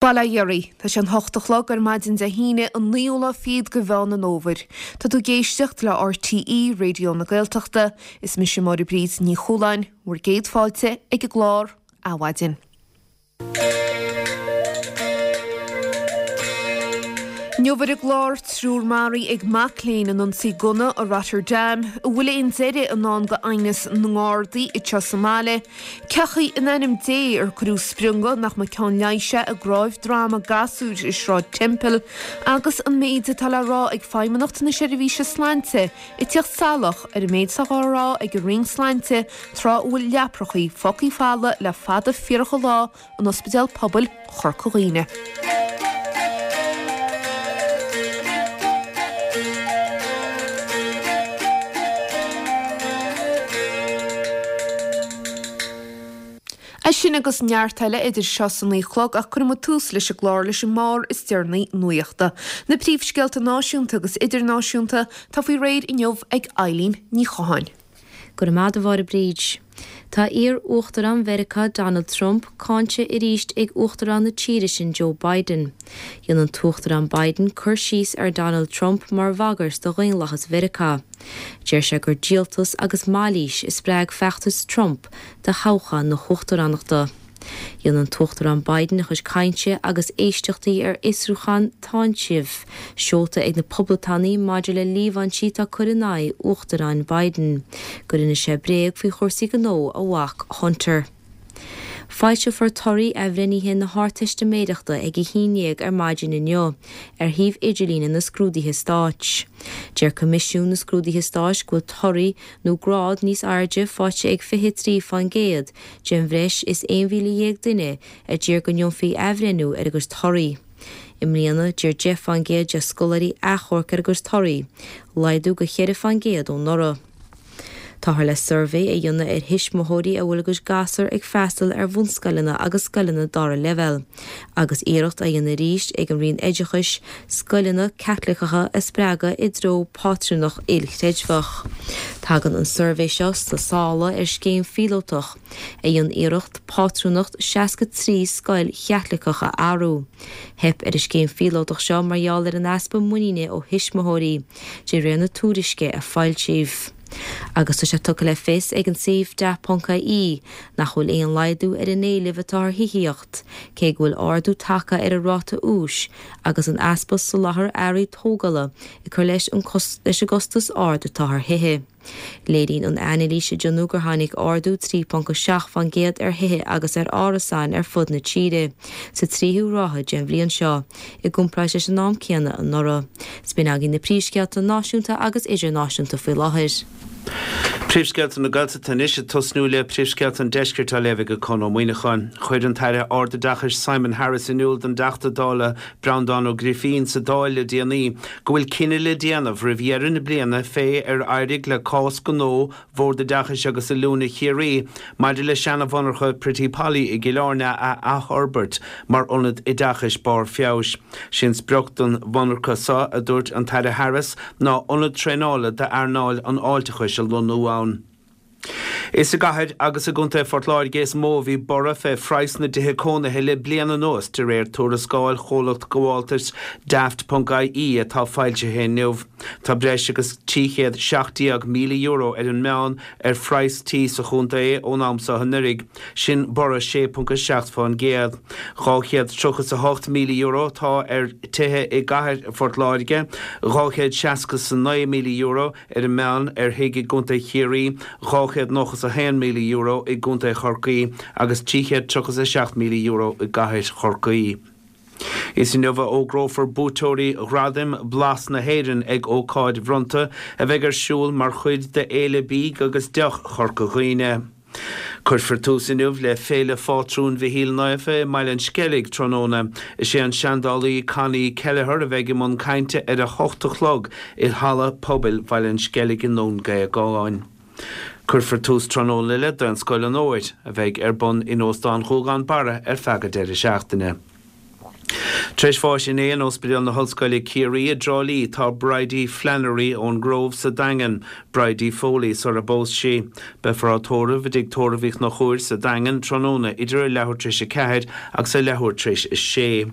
Bail ó Dhia oraibh. Tá sé an hocht a chlog ar maidin Dé hAoine, an naoú lá fichead de Mheán an Fhómhair. Tá tú ag éisteacht le RTÉ Raidió na Gaeltachta. Is mise Máire Bríd Ní Chualáin, bhur gcéad fáilte ag an gclár Adhmhaidin. Inniu ar an gclár, triúr maraithe ag mac léinn in ionsaí gunna i Rotterdam, an bhfuil aon deireadh i ndán do aighneas na nGardaí anseo sa mbaile, Cén chaoi in ainm Dé ar cuireadh sprionga nach mba ceann leighis é i gcráibh droma gasúir i Sráid Temple agus an méid atá le rá ag Feidhmeannacht na Seirbhíse Sláinte ag tíocht salach ar an méid atá á rá ag an Roinn Sláinte tráth a bhfuil leaprachaí fágthaí folamh le fada fíorach an lá in Ospidéal Pobail Chorca Dhuibhne. É sin agus neart eile idir seo is a 9 a chlog ach cuirfidh muid tús leis an gclár leis an mbarr is deireanaí nuachta. Na príomhscéalta náisiúnta agus idirnáisiúnta atá faoi réir inniu ag Eileen Ní Chatháin. Go raibh maith agat a Mháire Bríd. Tá iar-Uachtarán Mheiriceá Donald Trump cáinte arís ag Uachtarán na tíre sin Joe Biden. Dhein an tUachtarán Biden cur síos ar Donald Trump mar bhagairt do dhaonlathas Mheiriceá. Deir sé gur díoltas agus mailís a spreag feachtas Trump do thoghchán na huachtaránachta. Dhein an tUachtarán Biden a chuid cainte agus éisteachtaí ar fhiosrúchán táinsimh seolta ag na Poblachtánaigh maidir le líomhaintí atá curtha in aghaidh Uachtaráin Biden gur inis sé bréag faoi chúrsaí gnó a mhac Hunter. Foilseofar torthaí athbhreithnithe na hArdteistiméireachta ag a 11 ar maidin inniu ar shuíomh idirlíne na Scrúduithe Stáit. Deir Coimisiún na Scrúduithe Stáit go bhfuil torthaí nó grád níos airde faighte ag 23% den bhreis is 11,000 duine a d'iarr go ndéanfaí athbhreithniú ar a gcuid torthaí. I mbliana, d'iarr 10 fán gcéad de scoláirí achomharc ar a gcuid torthaí, laghdú de 4 fán gcéad ó anuraidh. Táthar le suirbhé a dhéanamh ar thuismitheoirí a bhfuil a gcuid gasúr ag freastal ar bhunscoileanna agus scoileanna dara leibhéal, agus iarracht á dhéanamh arís ag an Roinn Oideachais scoileanna Caitliceacha a spreagadh i dtreo pátrúnacht ilchreidmheach. Tagann an suirbhé seo sna sála ar scéim phíolótach a dhein iarracht pátrúnacht 63 scoil Chaitliceach a athrú. Theip ar an scéim phíolótach seo mar gheall ar an easpa muiníne ó thuismitheoirí, de réir na tuairisce a foilsíodh. Agus tá sé tugtha le fios ag an suíomh daft.ie nach bhfuil aon laghdú ar an éileamh atá ar thithíocht, cé go bhfuil ardú tagtha ar an ráta úis agus an easpa soláthair earraí tógála ag cur leis an gcostas ard atá ar thithe. Léiríonn an anailís a déanadh gur tháinig ardú 3.7 fán gcéad ar thithe agus ar árasáin ar fud na tíre sa tríú ráithe den bhliain seo, i gcomparáid leis an am céanna anuraidh. 'S b'in agaibh na príomhscéalta náisiúnta agus idirnáisiúnta faoi láthair. Príomhscéalta na Gaeltachta anois ag tosnú le príomhscéalta an Deiscirt á léamh ag Conn Ó Muíneacháin. Chuir an tAire Ardoideachais Simon Harris in iúl don dTeachta Dála Breandán Ó Grifín sa Dáil le déanaí go bhfuil cinneadh le déanamh roimh dheireadh na bliana fé ar éirigh le cás gnó Bhord Oideachais agus Oiliúna Chiarraí maidir le seana-mhonarcha Pretty Polly i gCill Airne a athfhorbairt mar ionad oideachais barr feabhais. Sé an sprioc don mhonarcha seo, a dúirt an tAire Harris, ná ionad traenála d'earnáil an fháilteachais a lonnú ann. Is i gcathair agus i gContae Phort Láirge is mó a bhí borradh fé phraghas na dtithe cónaithe le bliain anuas, de réir tuarascáil chomhlacht gabháltais Daft.ie atá foilsithe inniu. Tá breis agus €317,000 ar an meán ar phraghas tí sa chontae ón am seo anuraidh. Sin borradh 6.7 fán gcéad. €238,000 atá ar tithe i gcathair Phort Láirge, €269,000 ar an meán ar thigh i gContae Chiarraí, €291,000 i gContae Chorcaí agus €337,000 i gcathair Chorcaí. Is inniu a fhógrófar buaiteoirí Ghradaim Blas na hÉireann ag ócáid bhronnta a bheidh ar siúl mar chuid de Fhéile Bídh agus Deoch Chorca Dhuibhne. Cuirfear tús inniu le Féile Phátrún Mhichíl Naofa i mBaile an Sceilg tráthnóna. Is é an seandálaí Connie Kelleher a bheidh i mbun cainte ar a hocht a chlog i Halla Pobail Bhaile an Sceilg i nDún Géagáin. Cuirfear tús tráthnóna le Daonscoil an Fhómhair, a bheidh ar bun in Óstán Ghuagán Barra ar feadh an deireadh seachtaine. Tar éis bháis inné in Ospidéal na hOllscoile Ciarraí i dTrá Lí tá Bridie Flannery ón nGrove sa Daingean, Bridie Foley sar a bpós sí. Beifear á tórramh i dTigh Tórraimh Uí Chonchúir sa Daingean tráthnóna idir a leathuair tar éis 4 agus a leathuair tar éis 6.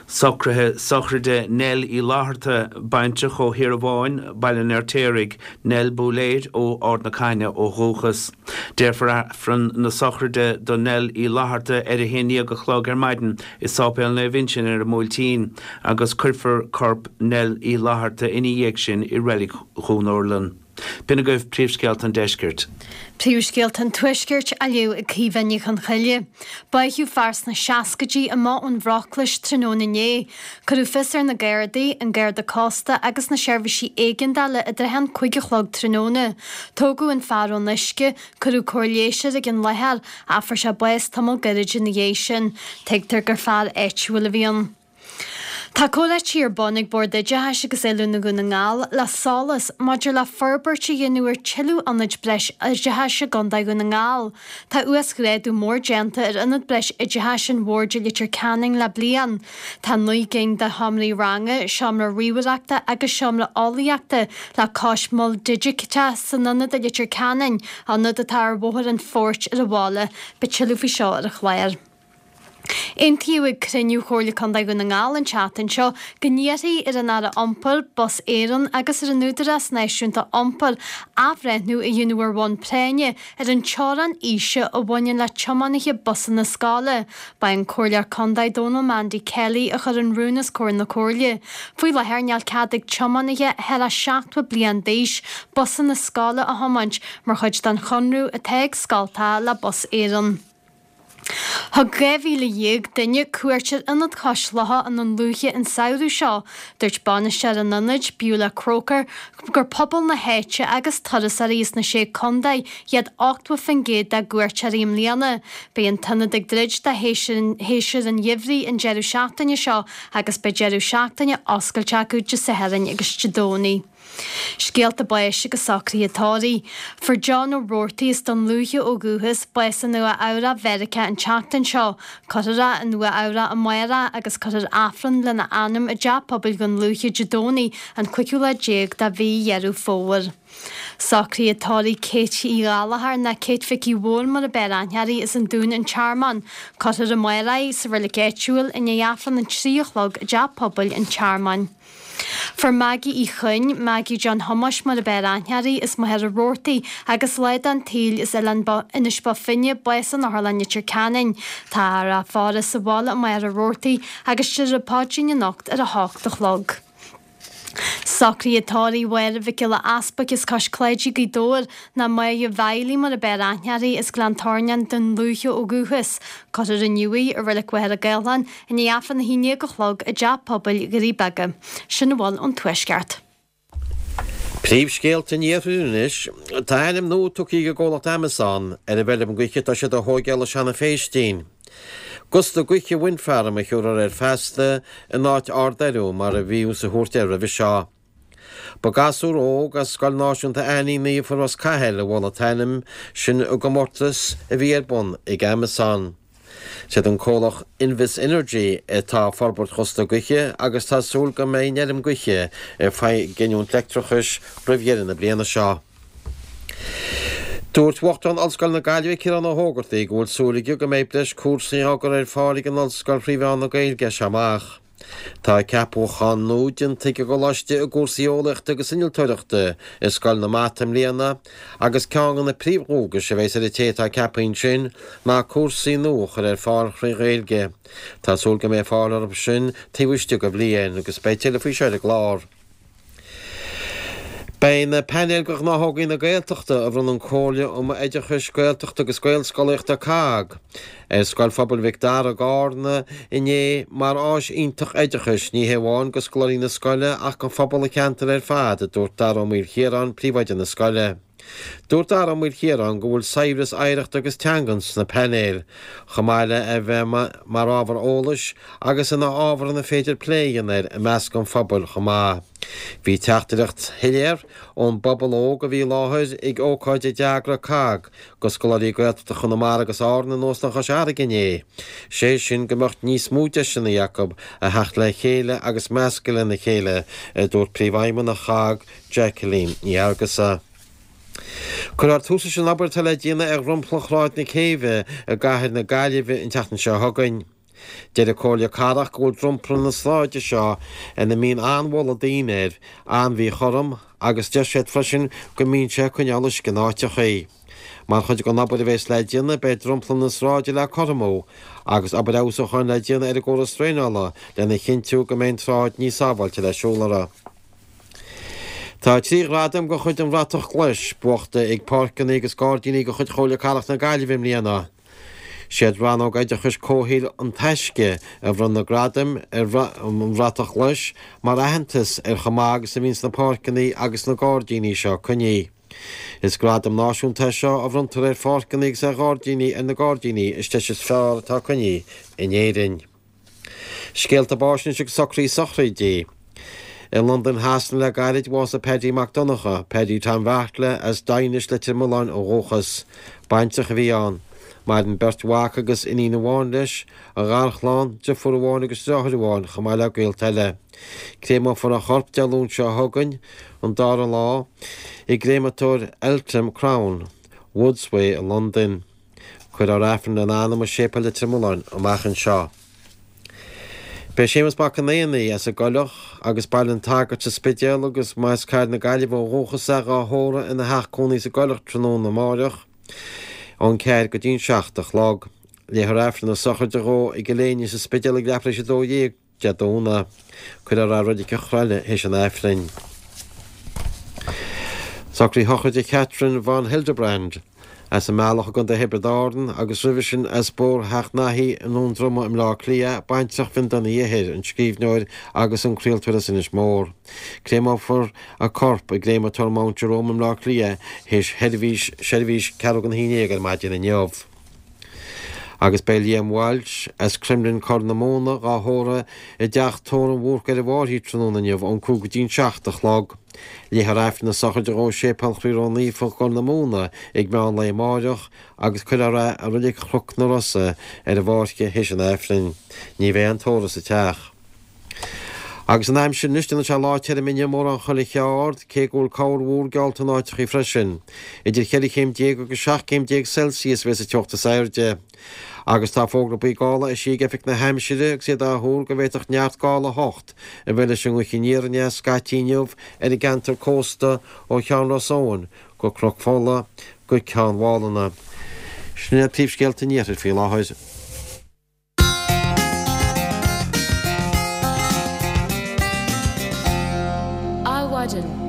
Socruithe sochraide Nell Uí Fhlatharta, baintreach ó Thiarabháin, Baile an Fheirtéaraigh, Nell Búiléir ó Ard na Caithne ó dhúchas. Déarfar Aifreann na sochraide do Nell Uí Fhlatharta ar a haon dhéag a chlog ar maidin i Sáipéal Naomh Uinseann ar an mBuailtín agus cuirfear corp Nell Uí Fhlatharta ina dhiaidh sin i Reilig Dhún Urlann. B'in agaibh príomhscéalta an deiscirt. Príomhscéalta an Tuaiscirt á léamh ag Caoimhe Ní Chonchoille. Báitheadh fear sna seascaidí amuigh ón Bhruclais tráthnóna inné. Cuireadh fios ar na Gardaí, an Garda Cósta agus na seirbhísí éigeandála i dtrátha an 5 a chlog tráthnóna. Tógadh an fear ón uisce, cuireadh cóir leighis air ag an láthair ach fuair sé bás tamall gairid ina dhiaidh sin. Tuigtear gur fear áitiúil a bhí ann. Tá comhráití ar bun ag Bord Oideachais agus Oiliúna Dhún na nGall le SOLAS maidir le forbairt a dhéanamh ar tuilleadh ionaid breis oideachais i gContae Dhún na nGall. Tá uasghrádú mór déanta ar Ionad Breis Oideachais an Bhoird i Leitir Ceanainn le bliain. Tá 9 gcinn de sheomraí ranga, seomra ríomhaireachta agus seomra eolaíochta le cois mol digiteach san ionad i Leitir Ceanainn, ionad atá ar Bhóthar an Phoirt ar an bhaile. Beidh tuilleadh faoi seo ar an chlár. Aontaíodh ag cruinniú Chomhairle Contae Dhún na nGall an tseachtain seo go n-iarrfaí ar an Aire Iompair, Bus Éireann agus ar an Údarás Náisiúnta Iompair athbhreithniú a dhéanamh ar bhonn práinne ar an teorainn aoise a bhaineann le tiománaithe busanna scoile. Ba é an Comhairleoir Contae Dónal Mandy Kelly a chuir an rún os comhair na Comhairle. Faoi láthair níl cead ag tiománaithe thar a 70 bliain d'aois busanna scoile a thiomáint mar chuid den chonradh atá ag scoltacha le Bus Éireann. Thug 12,000 duine cuairt ar Ionad Chois Locha i nDún Lúiche an samhradh seo. Dúirt bainisteoir an ionaid, Beulah Croker, gur pobal na háite agus turasóirí as na Sé Contae iad 80% dá gcuairteoirí i mbliana. Beidh an t-ionad ag druid do shéasúr an gheimhridh an deireadh seachtaine seo agus beidh deireadh seachtaine oscailte acu Dé Sathairn agus Dé Domhnaigh. Scéalta báis agus socruithe tórraimh. Fuair John Ó Roarty as Dún Lúiche ó dhúchas, bás i Nua Eabhrac Mheiriceá an tseachtain seo. Cuirfear é i Nua Eabhrac amárach agus cuirfear Aifreann lena anam i dTeach Pobail Dhún Lúiche Dé Domhnaigh an cúigiú lá déag de mhí Dheireadh Fómhair. Socruithe tórraimh Kate Uí Ghallchóir ná Kate Mhicí Mhóir mar ab fhearr aithne uirthi as an Dún an Tearmann. Cuirfear amárach í sa reilig áitiúil i ndiaidh Aifreann an 3 a chlog i dTeach Pobail an Tearmainn. Fuair Maggie Uí Chuinn, Maggie John Thomáis mar ab fhearr aithne uirthi, as Machaire Rabhartaigh agus lá den tsaol as Oileán Inis Bó Finne, bás in Otharlann Leitir Ceanainn. Táthar á faire sa bhaile i Machaire Rabhartaigh agus déarfar an paidrín anocht ar a hocht a chlog. Socruithe tórraimh Mháire Mhic Giolla Easpaig as Cois Cláidí, Gaoth Dobhair, ná Máire Mhiley mar ab fhearr aithne uirthi, as Gleann Tornáin, Dún Lúiche ó dhúchas. Cuirfear inniu í i Reilig Mhachaire Gathlán I ndiaidh Aifreann 11 a chlog i dTeach Pobail Dhoirí Beaga. Sin a bhfuil ón Tuaisceart. Príomhscéalta an Iarthair anois. Tá ainm nua tugtha ag an gcomhlacht Amazon ar an bhfeilm gaoithe atá siad a thóigeáil i Seanadh Phéistín. Gusta Gaoithe Wind Farm a thiúrfar air feasta in áit Ard Fheiriú mar a bhíothas a thabhairt air roimhe seo. Ba gasúr óg as Scoil Náisiúnta Aithní Naofa Ros Cathail a mhol an t-ainm sin i gcomórtas a bhí ar bun ag Amazon. Siad an comhlacht Invus Energy atá ag forbairt Ghusta Gaoithe agus tá súil go mbeidh an fheirm gaoithe ag giniúint leictreachais roimh dheireadh na bliana seo. Dúirt Uachtarán Ollscoil na Gaillimhe Ciarán Ó hÓgartaigh go bhfuil súil aige go mbeidh breis cúrsaí á gcur ar fáil ag an ollscoil thrí mheán na Gaeilge as seo amach. Tá ceapúchán nua déanta ag an gcoláiste i gcúrsaí eolaíochta agus innealtóireachta i Scoil na Mata i mbliana agus ceann de na príomhdhualgais a bheas ar an té atá ceaptha ansin ná cúrsaí nua a chur ar fáil thrí Ghaeilge. Tá súil go mbeidh fáil orthu sin taobh istigh de bhliain agus beidh tuilleadh faoi seo ar an gclár. Beidh na painéil de ghnáthógaí na Gaeltachta a bhronn an Comhairle um Oideachais Gaeltachta agus Gaelscolaíochta, COGG, ar Scoil Phobail Mhic Dara i gCarna inné mar áis iontach oideachais, ní hé amháin do scoláirí na scoile ach do phobal an cheantair ar fad, a dúirt Dara Ó Maoilchiaráin, príomhoide na scoile. Dúirt Dara Ó Maoilchiaráin go bhfuil saibhreas oidhreachta agus teangan sna painéil, chomh maith le a bheith mar ábhar eolais agus ina ábhar ina féidir plé a dhéanamh air i measc an phobail chomh maith. Bhí teachtaireacht shoiléir ón bpobal óg a bhí i láthair ag ócáid a d'eagraigh COGG do scoláirí Gaeltachta Chonamara agus Árann in Óstán Chois Fharraige inné, sé sin go mbeadh níos mó deiseanna acu a theacht le chéile agus meascadh lena chéile, a dúirt Príomhfheidhmeannach COGG, Jacqueline Ní Fhearghusa. Cuirfear tús leis an obair atá le déanamh ar dhromchla Shráid na Céibhe i gcathair na Gaillimhe an tseachtain seo chugainn. Deir an Comhairle Cathrach go bhfuil dromchla na sráide seo, ina mbíonn an-bholadh daoine air, an-mhíchothrom agus deir siad freisin go mbíonn sé ag coinneáil uisce in áiteachaí. Mar chuid den obair a bheas le déanamh beidh dromchla na sráide le cothromú agus obair fheabhsúcháin le déanamh ar an gcóras draenála lena chinntiú go mbeidh an tsráid níos sábháilte le siúl uirthi. Tá 3 ghradam de chuid an Bhratach Ghlais buachta ag páirceanna agus gairdíní de chuid Chomhairle Cathrach na Gaillimhe i mbliana. Siad Rannóg Oideachais Comhshaoil An Taisce a bhronn na gradaim ar an Bhratach Ghlais mar aitheantas ar chomh maith agus a bhíonns na páirceanna agus na gairdíní seo coinnithe. Is gradam náisiúnta é seo a bhronntar ar pháirceanna agus ar ghairdíní ar na gairdíní is deise is fearr atá coinnithe in Éirinn. Scéalta báis anois agus socruithe sochraide. I Londain Shasana le gairid, bhásaigh Paddy Mac Donncha, Paddy Tom Bheartla, as Daighinis, Leitir Mealláin ó dhúchas. Baintreach a bhí ann. Maireann beirt mhac agus iníon amháin leis, a gharchlann, deirfiúr amháin agus deartháir amháin, chomh maith le gaolta eile. Créamófar a chorp Dé Luain seo chugainn, an dara lá, i gcréamatóir Eltham Crown, Woodsway i Londain. Cuirfear Aifreann lena anam i Séipéal Leitir Mealláin amach anseo. Beidh Séamus Mac an Éanaigh as an gCoileach agus Baile an tSagairt sa Spidéal agus as Cathair na Gaillimhe ó dhúchas é dhá thórramh ina theach cónaí sa gCoileach tráthnóna amáireach ón 4 go dtí an 7 a chlog. Léifear Aifreann na sochraide dhó i gCill Éinne sa Spidéal ag leathuair tar éis 12. Dé Domhnaigh. Cuirfear é i Reilig an Chroilligh théis an Aifrinn. Socruithe sochraide Catherine von Hildebrand, as an mBealach i gContae Thiobraid Árann agus roimhe sin as Bóthar Theach Naithí i nDún Droma i mBleá Cliath, baintreach Bhinn Donna Uí Eithir, an scríbhneoir agus an craoltóir as Inis Mór. Créamófar a corp i gCréamatóir Mount Jerome i mBleá Cliath théis sheirbhís seirbhís ceathrú don haon dhéag ar maidin inniu. Agus beidh Liam Walsh as Cromghlinn Corr na Móna dhá thórramh i dteach tórraimh Bhúrc ar an bhFairche tráthnóna inniu ón 5 go dtí an 7 a chlog. Léifear Aifreann na sochraide dhó i Séipéal Chroí Ró-Naofa gCorr na Móna ag meán lae amáireach agus cuirfear é i Reilig Chnoc na Rosa ar an bhFáirche théis an Aifrinn. Ní bheidh aon tórramh sa teach. Agus an aimsir anois, déanfaidh sé lá tirim inniu mórán chuile cheard, cé go bhfuil corrmhúr geallta in áiteachaí freisin. Idir cheithre chéim déag agus 17 céim Celsius a bheas an teocht is airde. Agus tá fógra buí gála eisithe ag Oifig na hAimsire agus iad á thuar go bhféadfadh neart gála 8 a bheith leis an ngaoth aniar aneas scaití inniu ar an gceantar cósta ó Cheann Ros Eoghain go Cnoc Fola go Ceann Mhálanna. Sin iad príomhscéalta an iarthair faoi láthair. Adhmhaidin.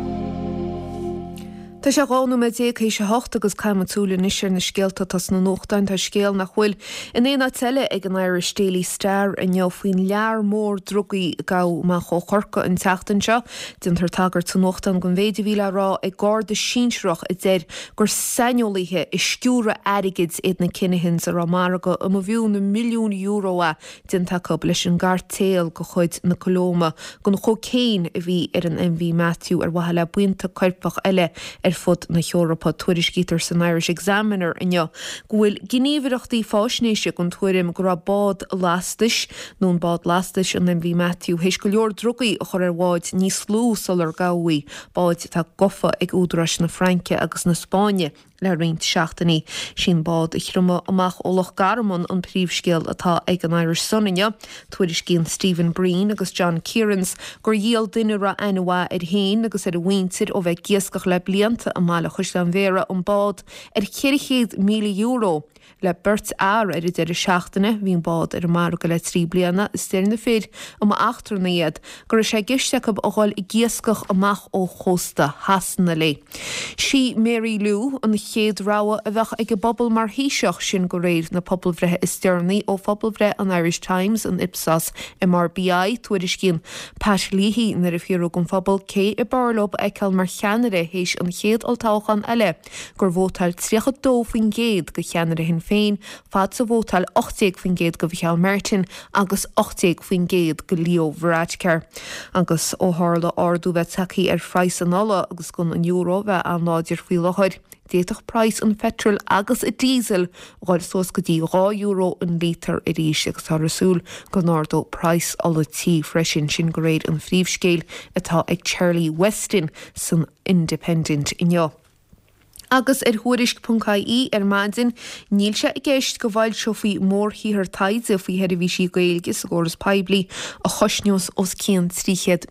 Tá sé 12 nóiméad théis a hocht agus caithfidh muid súil anois ar na scéalta atá sna nuachtáin. Tá scéal nach bhfuil in aon áit eile ag an Irish Daily Star inniu faoin lear mór drugaí a gabhadh amach ó Chorcaigh an tseachtain seo. Déantar tagairt sa nuachtán don mhéid a bhí le rá ag garda sinsearach a deir gur saineolaithe i sciúradh airgid iad na Kinahans a raibh margadh a mb'fhiú na milliúin euro é déanta acu leis an gcairtéal de chuid na Colóime den chócaon a bhí ar an MV Matthew ar mhaithe le buíonta coirpeach eile ar fud na hEorpa. Tuairiscítear san Irish Examiner inniu go bhfuil gníomhaireachtaí fáisnéise den tuairim go raibh bád lastais nó an bád lastais an MV Matthew théis go leor drugaí a chur ar bháid níos lú sular gabhadh í, báid atá gofa ag údaráis na Fraince agus na Spáinne le roinnt seachtainí. Sí an bád a thriomaigh amach ó Loch Garman an príomhscéal atá ag an Irish Sun inniu. Tuairiscíonn Stephen Breen agus John Kierans gur dhíol duine a raibh aithne mhaith air féin agus ar a mhuintir ó bheith ag iascach le blianta i mbaile Chaisleáin Bhéarra an bád ar €400,000. Le beirt fhear ar an deireadh seachtaine, bhí an bád ar an margadh le 3 bliana is deir na fir, a mba eachtrannaigh iad, go raibh sé i gceist acu a dhul ag iascach amach ó chósta Shasana léi. Sí Mary Lou an chéad rogha a bheadh ag an bpobal mar Thaoiseach, sin de réir na pobalbhreithe is deireanaí ó phobalbhreith an Irish Times, an Ipsos MRBI. Tuairiscíonn Pat Leahy nuair a fiafraíodh den phobal cé ab fhearr leo a fheiceáil mar cheannaire théis an chéad olltoghchán eile, gur vótáil 32% do cheannaire Shinn Féin, fad is a vótáil 18% do Mhicheál Martin agus 18% do Leo Varadkar. Agus ó tharla ardú bheith tagtha ar phraghas an ola agus gon an euro bheith an-láidir faoi láthair, d'fhéadfadh praghas an pheitril agus an díosail dhul suas go dtí €2 an líotar arís agus táthar ag súil go n-ardódh praghas ola tí freisin, sin de réir an phríomhscéil atá ag Charlie Weston san Independent inniu. Agus ar Thuairisc.ie ar maidin, níl sé i gceist go bhfoilseofaí mórshaothar taighde faoi sheirbhísí Gaeilge sa gcóras poiblí a chosnós os cionn €300,000.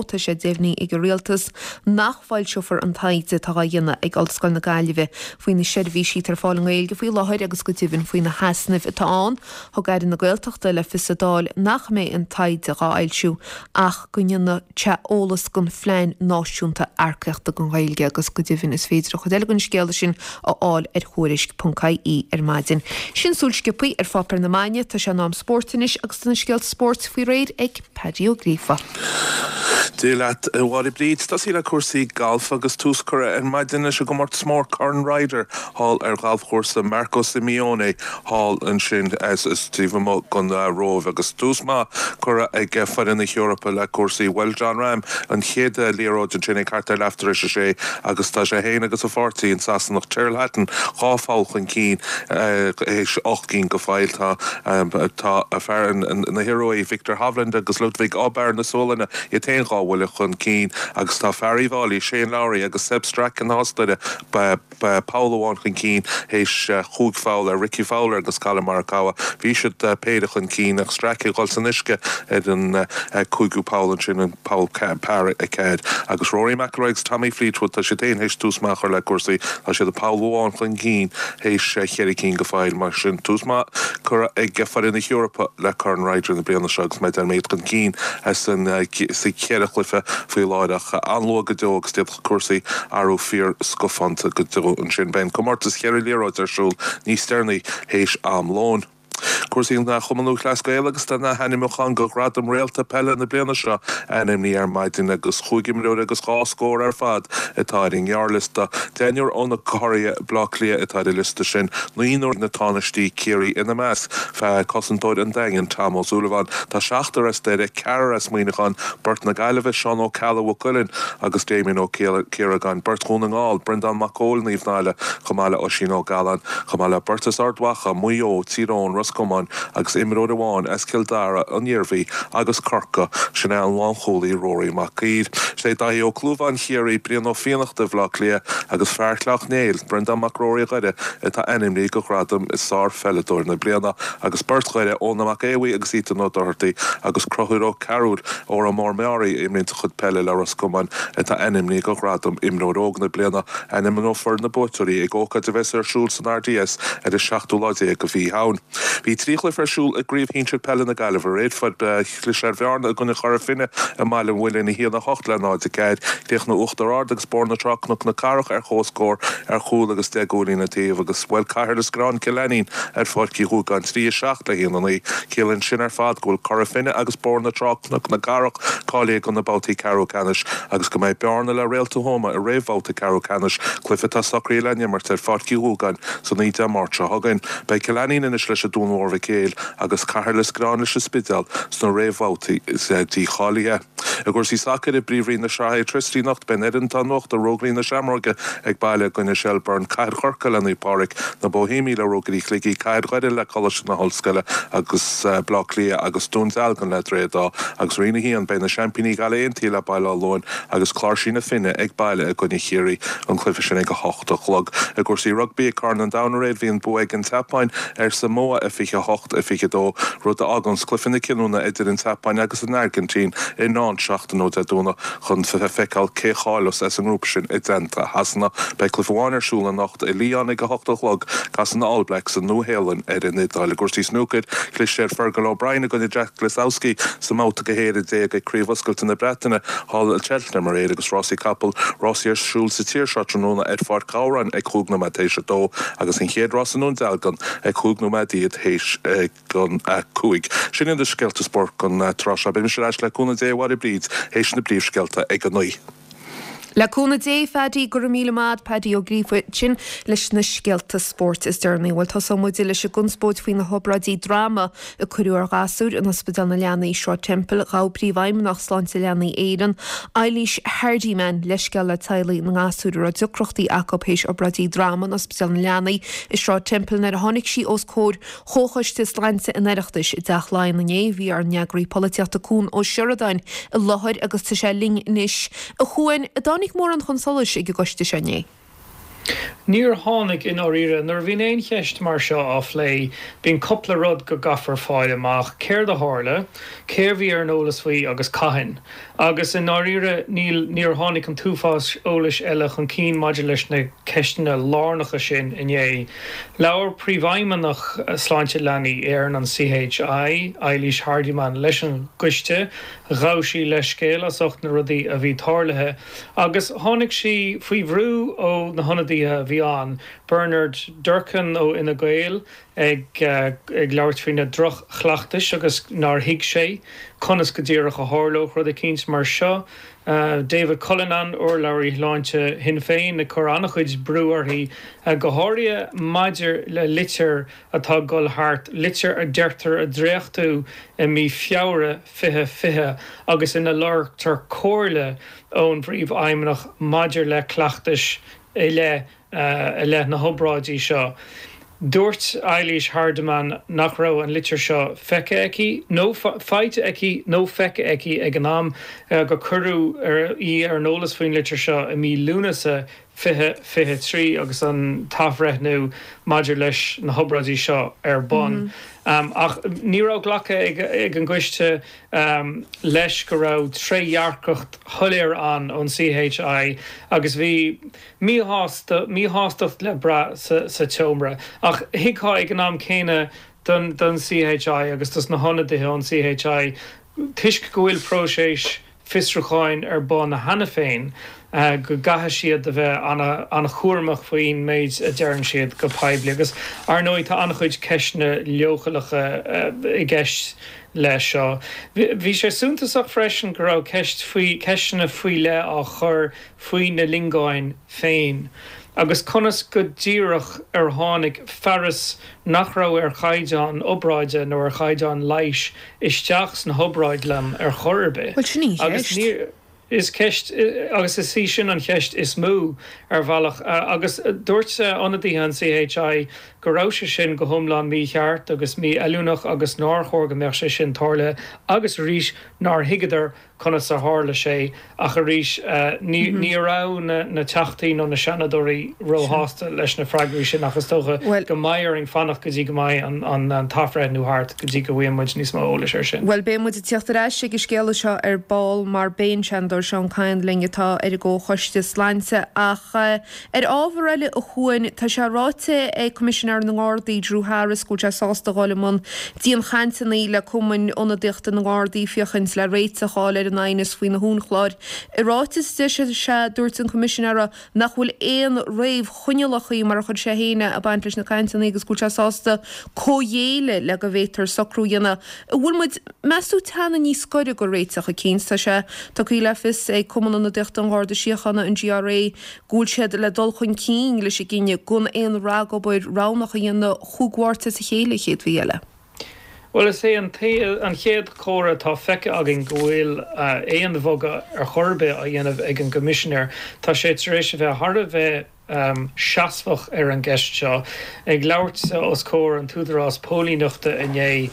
Tá sé deimhnithe ag an Rialtas nach bhfoilseofar an taighde atá á dhéanamh ag Ollscoil na Gaillimhe faoi na seirbhísí atá ar fáil i nGaeilge faoi láthair agus go deimhin faoi na heasnaimh atá ann. Thug Aire na Gaeltachta le fios sa Dáil nach mbeidh an taighde dhá fhoilsiú ach go ndéanfaidh sé eolas don phlean náisiúnta earcaíochta don Ghaeilge agus go deimhin is féidir an chuid eile den scéala sin a fháil ar Thuairisc.ie ar maidin. Sin súil sciobtha ar pháipéir na maidine, tá sé in am spóirt anois agus tá na scéalta spóirt faoi réir ag Paddy Ó Gríofa. Dia leat, a Mháire Bríd. Tosaí le cúrsaí gailf agus tús curtha ar maidin leis an gcomórtas mór Corn Ryder thall ar ghalfchúrsa Marco Simeone thall ansin taobh amuigh den Róimh agus tús maith curtha ag foireann na hEorpa le cúrsaí. Bhuail Jon Rahm an chéad liathróid ansin ag thart ar leath tar éis a sé agus tá sé féin agus a pháirtí, an Sasanach Tyrrell Hatton, dhá pholl chun cinn théis 8 gcinn go fóill. Tá tá fear na hIorua, Viktor Hovland agus Ludvig Åberg na Sualainne iad féin dhá bhuille chun cinn agus tá fear Uíbh Fhailí, Shane Lowry agus Sepp Straka na hOstaire, poll amháin chun cinn théis chúig pholl ar Rickie Fowler agus Collin Morikawa. Bhí siad péire chun cinn ach Straka ag dul san uisce ar an cúigiú poll ansin, an poll par 4. Agus Rory McIlroy agus Tommy Fleetwood, tá siad féin théis tús maith a chur le cúrsaí. Tá siad poll amháin chun cinn théis cheithre cinn go fóill. Mar sin, tús maith curtha ag foireann na hEorpa le Corn Ryder na bliana seo agus mar a deir mé iad chun cinn sa cheithre chluiche faoi láthair ach an-luath go deo agus d'fhéadfadh cúrsaí athrú fíor scafánta go deo ansin. Beidh an comórtas cheithre liathróid ar siúl níos deireanaí théis am lóin. Cúrsaí an Chumann Lúthchleas Gael agus tá na hainmniúcháin do Ghradam Réalta Peile na bliana seo ainmnithe ar maidin agus chúig imreoir agus dhá scór ar fad atá ar an ngearrliosta. Deichniúr ó na curaidh Bleá Cliath atá ar an liosta sin, naonúr na Tánaistí Ciarraí ina measc, cosantóir an Daingin Tom Ó Súilleabháin. Tá seachtar as Doire, ceathrar as Muineachán, beirt na Gaillimhe, Seán Ó Ceallaigh Mhaigh Cuilinn agus Damien Ó Ciaragáin, beirt Dhún na nGall, Breandán Mac Cóil, Naomh Náille, chomh maith le Oisín Ó Galláin, chomh maith le beirt as Ard Mhacha, Maigh Eo, Tír Eoghain, Ros Comáin agus imreoir amháin as Cill Dara, an Iarmhí agus Corcaigh, sin é an lánchúlaí Rory Mac Uidhir. Is é Daithí Ó Clúmháin Chiarraí, Brian Ó Fiannachta Bhaile Átha Cliath agus fear Shleacht Néill, Breandán Mac Ruairí Dhoire atá ainmnithe do ghradam Sár-Pheileadóir na Bliana agus beirt Dhoire, Eoin Mac Aodha agus Ethan Ó Dochartaigh agus Conchúr Ó Cearúil, Órán Mór Meáraí, a imríonns a chuid peile le Ros Comáin, atá ainmnithe do ghradam Imreoir Óg na Bliana. Ainmneofar na buaiteoirí ag ócáid a bheas ar siúl san RDS ar an seachtú lá déag de mhí Shamhain. Bhí 3 chluiche ar siúl i gCraobh Shinsir Peile na Gaillimhe aréir. Fuair Chlis ar Bhearna i gcoinne Chora Finne i mBaile an Mhuilinn 1, 8 le 0, 4. Chríochnaigh Uachtar Ard agus Bóthar na Trá Cnoc na Cathrach ar comhscór ar chúl agus 10 gcúilín an taobh agus bhuail Cathair Lios Gréachna Cill Ainnín ar Pháirc Uí Dhúgáin 3, 7 le 1, 9. Ciallaíonn sin ar fad go bhfuil Cora Finne agus Bóthar na Trá Cnoc na Cathrach cáilithe do na babhtaí ceathrú ceannais agus go mbeidh Bearna le Réalta Thuama i réamhbhabhta ceathrú ceannais, cluiche atá socraithe le n-imirt ar Pháirc Uí Dhúgáin san oíche Dé Máirt seo chugainn. Beidh Cill Ainnín anois leis an Dún Mór Mhic Éil agus Cathair Lios Gréachna leis an Spidéal sna réamhbhabhtaí dícháilithe. I gcúrsaí sacair i bPríomhroinn na Sraithe Airtricity anocht, beidh an fhoireann atá in uachtar, Rógairí na Seamróige, ag baile i gcoinne Shelbourne, Cathair Chorcaí le Naomh Pádraig, Na Boihéamaigh le Rógairí Shligigh, Cathair Dhoire le Coláiste na hOllscoile agus Bleá Cliath agus Dún Dealgan le Droichead Átha. Agus Roinn 1, beidh na seaimpíní Gaillimh Aontaithe le Baile Átha Luain agus Cláirsigh na Finne ag baile i gcoinne Chiarraí, an cluiche sin ag 8 a chlog. I gcúrsaí rugbaí ag Corn an Domhain aréir, bhí an bua ag an tSeapáin ar Samoa, 28, 22, rud a fháganns cluiche na cinniúna idir an tSeapáin agus an Airgintín i ndán. seachtain ó Dé Domhnaigh chun feiceáil cé a cháileos as an ngrúpa sin i dteannta Shasana. Beidh cluiche amháin ar siúl anocht i Lyon ag a hocht a chlog. Casann na All Blacks an Nua-Shéalainn ar an Iodáil. I gcúrsaí snúcair, chlis ar Fergal O'Brien i gcoinne Jack Lisowski sa mbabhta go 11 ag Craobh Oscailte na Breataine thall i Cheltenham aréir agus rásaí capall, rásaí ar siúl sa tír seo tráthnóna ar Pháirc Ghabhráin ag chúig nóiméad théis a dó agus an chéad rás i nDún Dealgan ag chúig nóiméad théis a 5. Sin iad na scéalta spóirt don tráth seo. Beidh mise ar ais le cúnamh Dé a Mháire Bríd théis na bpríomhscéalta ag a 9. Le cúnamh Dé, Phaddy, go raibh míle maith a'd, Paddy Ó Gríofa ansin leis na scéalta spóirt is deireanaí. Bhuel, tosóidh muid leis an gconspóid faoi na hobráidí droma a cuireadh ar ghasúir in Ospidéal na Leanaí i Sráid Temple. Ghabh Príomhfheidhmeannach Sláinte Leanaí Éireann, Eilís Hardiman, leithscéal le teaghlaigh na ngasúr a raibh deacrachtaí acu théis obráidí droma in Ospidéal na Leanaí i Sráid Temple nuair a tháinig sí os comhair Chomhchoiste Sláinte an Oireachtais i dTeach Laighean inné. Bhí ár n-eagraí polaitíochta Cuan Ó Seireadáin i láthair agus tá sé linn anois. A Chuain, an dtáinig mórán chun solais ag an gcoiste seo inné? Níor tháinig, i ndáiríre. Nuair a bhíonn aon cheist mar seo á phlé, bíonn cupla rud go gcaithfear fáil amach, céard a tharla, cé a bhí ar an eolas faoi agus cathain. Agus i ndáiríre, níl, níor tháinig an t-uafás eolais eile chun cinn maidir leis na ceisteanna lárnacha sin inné. Labhair Príomhfheidhmeannach Sláinte Leanaí Éireann, an CHI, Eilís Hardiman, leis an gcoiste. Ghabh sí leithscéal as ucht na rudaí a bhí tarlaithe agus tháinig sí faoi bhrú ó na hionadaithe a bhí ann, Bernard Durkan ó Fhine Gael, ag labhairt faoi na droch-chleachtais agus nár thuig sé conas go díreach a tharlódh rud eicínt mar seo. David Cullinane, urlabhraí shláinte Shinn Féin, ag cur an-chuid brú uirthi, go háirithe maidir le litir atá ag dul thart, litir a deirtear a dréachtú i mí Feabhra 2020 agus ina lorgtar comhairle ón bPríomhfheidhmeannach maidir le cleachtais i leith i leith na hobráidí seo. Dúirt Eilís Hardiman nach raibh an litir seo feicthe aici nó faighte aici nó feicthe aici ag an am gur cuireadh í ar an eolas faoin litir seo i mí Lúnasa 2023 agus an t-athbhreithniú maidir leis na hobráidí seo ar bun. Ach ní raibh glactha ag an gcoiste leis go raibh trédhearcacht shoiléir ann ón CHI agus bhí míshástacht le brath sa tseomra. Ach thuigfeá ag an am céanna don CHI agus dos na hionadaithe ón CHI, toisc go bhfuil próiseas fiosrúcháin ar bun cheana féin, go gcaithfidh siad a bheith an-chúramach faoin méid a deireann siad go poiblí. Agus, ar ndóigh, tá an-chuid ceisteanna leochaileacha i gceist leis seo. Bhí sé suntasach freisin go raibh ceist faoi, ceisteanna faoi leith á chur faoi na lingeáin féin, agus conas go díreach ar tháinig fearas nach raibh ar chaighdeán obráide nó ar chaighdeán leighis isteach sna hobráidlann ar chor ar bith. Bhuel, sin í an Agus cheist. ní, is ceist, agus is í sin an cheist is mó, ar bhealach. Agus dúirt ionadaithe an CHI go raibh sé sin go hiomlán mícheart agus mífheiliúnach agus nár chóir go mbeadh sé sin tarlaithe agus arís nár thuigeadar conas a tharla sé, ach arís, ní ní raibh na Teachtaí nó na Seanadóirí róshásta leis na freagraí sin ach is dócha go mbeidh orainn fanacht go dtí go mbeidh an t-athbhreithniú thart go dtí go bhfaigheann muid níos mó eolais air sin. Bhuel, beidh muid ag tíocht ar ais ag an scéala seo ar ball mar beidh an Seanadóir Seán Kyne linn atá ar an gComhchoiste Sláinte ach Ar ábhar eile a Chuain, tá sé ráite ag Coimisinéir na nGardaí, Drew Harris, go bhfuil sé sásta a dhul i mbun dianchainteanna le cumainn ionadaíochta na nGardaí féachaint le réiteach a fháil ar an aighneas faoi na huainchlár. I ráiteas a d'eisigh sé, dúirt an Coimisinéir nach bhfuil aon réamhchoinníollacha, mar a chuir sé féin é, ag baint leis na cainteanna agus go bhfuil sé sásta comhghéilleadh le go bhféadtar socrú a dhéanamh. An bhfuil muid, meas tú, teannadh níos gaire do réiteach eicínt? Tá sé tugtha le fios ag Cumann Ionadaíochta an Gharda Síochána, an GRA, go bhfuil siad le dul chun cinn leis an gcinneadh gan aon ragobair roghnach a dhéanamh chúig Mháirt as a chéile an chéad mhí eile. Bhuel, is é an chéad chomhartha atá feicthe againn go bhfuil aon bhogadh ar chor ar bith á dhéanamh ag an gCoimisinéir. Tá sé tar éis a bheith thar a bheith. Seasmhach ar an gceist seo. Ag labhairt os comhair an t-údarás póilíneachta inné,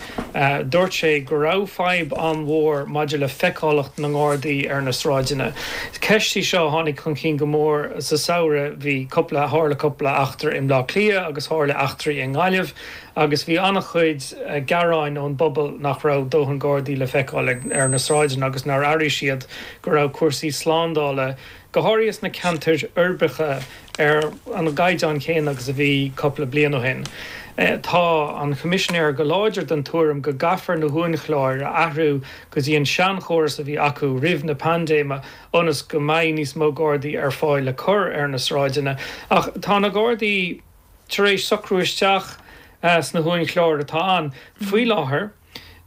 dúirt sé go raibh fadhb an-mhór maidir le feiceálacht na nGardaí ar na sráideanna. Ceist í seo a tháinig chun cinn go mór sa samhradh. Bhí cúpla, tharla cúpla eachtra i mBleá Cliath agus tharla eachtraí i nGaillimh agus bhí an-chuid gearáin ón bpobal nach raibh dóthain Gardaí le feiceáil ar na sráideanna agus nár airigh siad go raibh cúrsaí slándála go háirithe sna ceantair uirbeacha, ar an gcaighdeán céanna agus a bhí cúpla bliain ó shin. Tá an Choimisinéir go láidir den tuairim go gcaithfear na huainchlár a athrú go dtí an seanchóras a bhí acu roimh na paindéime ionas go mbeidh níos mó Gardaí ar fáil le cur ar na sráideanna. Ach tá na Gardaí tar éis socrú isteach sna huainchlár atá ann faoi láthair.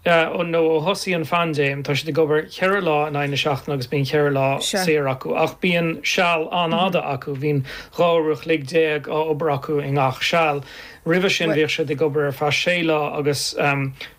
nó ó thosaigh an phaindéim, tá siad ag obair cheithre lá in aghaidh na seachtaine agus bíonn cheithre lá saor acu. Ach bíonn seal an-fhada acu, bíonn 12 uair a chloig á obair acu i ngach seal. Roimhe sin bhíodh siad ag obair ar feadh sé lá agus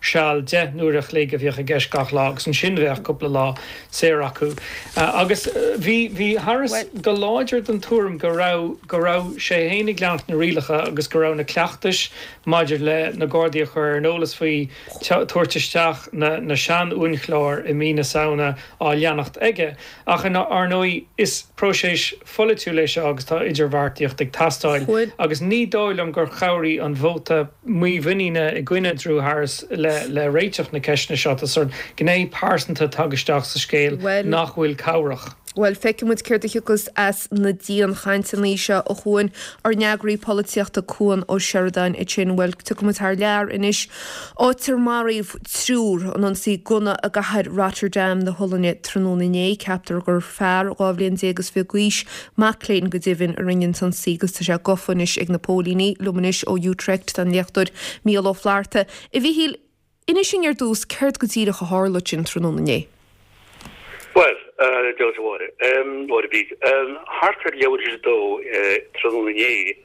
seal 10 n-uair a chloig a bhíodh i gceist gach lá agus ansin bheadh cúpla lá saor acu. Agus bhí, bhí Harris go láidir den tuairim go raibh, go raibh sé féin ag leanacht na rialacha agus go raibh na cleachtais maidir le na Gardaí a chur ar an eolas faoi tabhairt isteach na sean-uainchlár i mí na Samhna á leanacht aige. Ach ar ndóigh is próiseas pholaitiúil é seo agus tá idirbheartaíocht ag teastáil agus ní dóigh liom gur chabhraigh an vóta mímhuiníne i gcoinne Drew Harris le réiteach na ceisteanna seo. Tá sórt gné pearsanta tagtha isteach sa scéal nach bhfuil cabhrach. Bhuel, feicfidh muid céard a thiocfas as na dianchainteanna seo, a Chuain. Ár n-eagraí polaitíochta Cuan Ó Seireadáin ansin. Bhuel, tiocfaidh muid thar lear anois, áit ar maraíodh triúr in ionsaí gunna i gcathair Rotterdam na hOllainne tráthnóna inné. Ceaptar gur fear 12 bhliain is fiche d'aois, mac léinn go deimhin, a rinne an t-ionsaí agus tá sé gafa anois ag na póilíní. Liom anois ó Utrecht tá an léachtóir Mícheál Ó Flatharta. A Mhíchíl, Inis dúinn ar dtús céard go díreach a tharla ansin tráthnóna inné. Bhuel, Dia duit a Mháire, Mháire Bríd, thart ar leathuair tar éis a dó tráthnóna inné,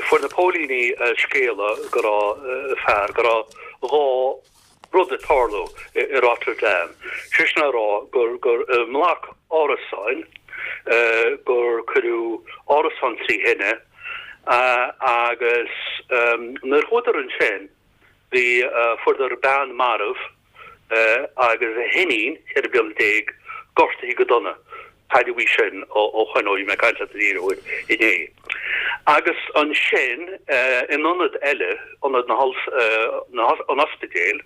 fuair na póilíní scéala go raibh fear, go raibh dhá rud ag tarlú i Rotterdam. Sé sin a rá gur, gur i mbloc árasáin, gur cuireadh árasán trí thine agus nuair a chuadar ansin, Bhí, fuaireadar bean marbh agus a hiníon, 14 bliana, gortaithe go dona. Cailleadh í sin ó shoin, ó bhí mé ag caint leat an d'iarraidh uair inné. Agus ansin, in ionad eile, ionad na an ospidéil,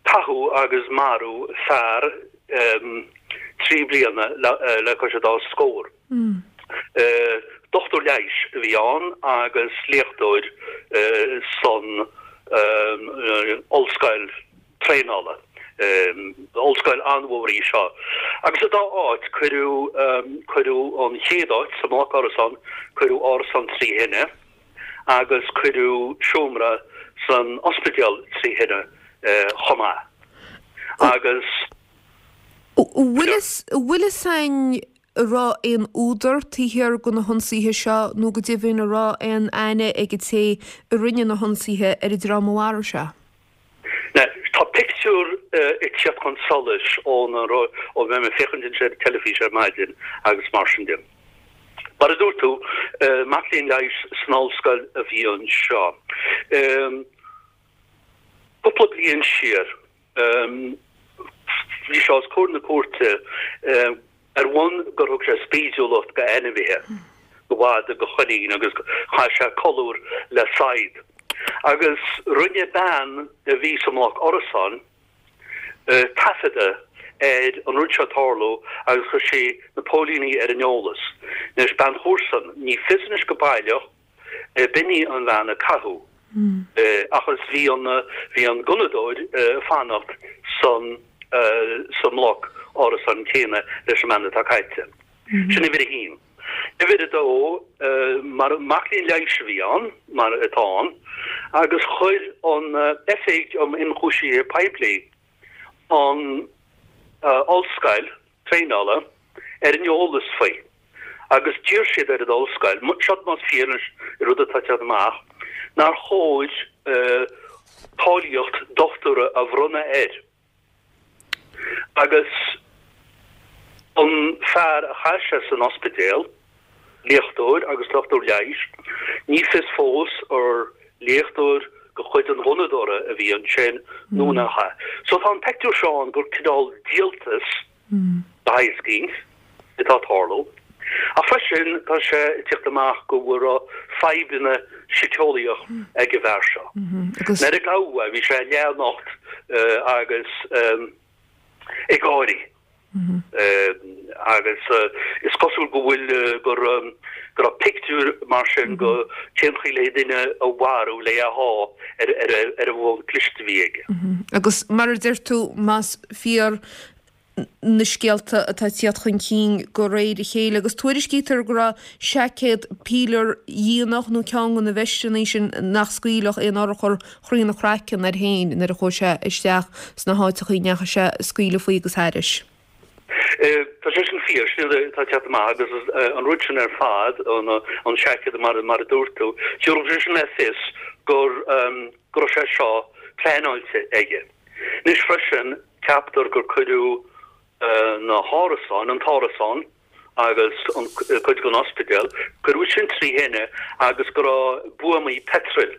caitheadh agus marú fear 3 bliana le cois an dá scór. Dochtúir leighis a bhí ann agus léachtóir san ollscoil traenála. Ollscoil an-mhór í seo. Agus sa dá áit, cuireadh, cuireadh an chéad áit, sa mbloc árasán, cuireadh árasán trí thine agus cuireadh seomra san ospidéal trí thine chomh maith. Agus. An bhfuil fhios a'inn an raibh aon údar taobh thiar de na hionsaithe seo nó go deimhin an raibh aon aithne ag an té a rinne na hionsaithe ar an dream a mharaigh sé? Tá pictiúr ag teacht chun solais ón ó bhí mé ag féachaint anseo ar an teilifís ar maidin agus mar sin de. Mar a dúirt tú, mac léinn leighis san ollscoil a bhí anseo. Cúpla bliain siar, Bhí sé os comhair na cúirte ar bhonn gur thug sé spídiúlacht go ainmhithe, go mhadadh, go choinín agus chaith sé colúr le saighead. Agus rinne bean a bhí sa mbloc árasán taifeadadh ar an rud seo ag tarlú agus chuir sí na póilíní ar an eolas. Anois, bean chomharsan, ní fios anois go baileach, B'in í an bhean a caitheadh ach is bhí an bhí an gunnadóir ag fanacht san sa mbloc árasán céanna leis an mbean atá caillte. Sin uimhir a haon. Uimhir a dó, mar mac léinn leighis a bhí ann, mar atá ann, agus chuir an Oifig um Ionchúisithe Poiblí an ollscoil traenála ar an eolas faoi agus d'iarr siad ar an ollscoil, seo más fíor an rud atá ag teacht amach, nár chóir cáilíocht dochtúra a bhronnadh air. Agus an fear a chaith sé san ospidéal. Léachtóir agus dochtúir leighis. Ní fios fós ar léachtóir de chuid an ghunnadóra a bhí ansin nó nach ea. So tá an peictiúr seo ann gur cineál díoltas de shaghas éicint atá ag tarlú. Ach freisin tá sé ag tíocht amach go raibh fadhbanna síceolaíoch ag an bhfear seo. Nuair a gabhadh é bhí sé leathnocht agus ag gáirí. Agus is cosúil go bhfuil, go raibh pictiúr mar sin go cén chaoi le duine a mharú le é a shá ar ar an bhfón cliste a bhí aige. Agus mar a deir tú, más fíor na scéalta atá ag tíocht chun cinn de réir a chéile, agus tuairiscítear go raibh seaicéad píleardhíonach nó ceann de na veisteanna sin nach scaoilfeadh aon urchar thrína chraiceann air féin nuair a chuaigh sé isteach sna háiteachaí a ndeachaigh sé ag scaoileadh faoi agus thairis. Tá sé sin fíor, sin rud atá ag teacht amach agus an rud sin ar fad, an seaicéad mar a dúirt tú, thabharfadh sé sin le fios gur go raibh sé seo pleanáilte aige. Anois freisin, ceaptar gur cuireadh na hárasáin, an t-árasán agus an cuid den ospidéal, cuireadh sin trí thine agus go raibh buamaí peitril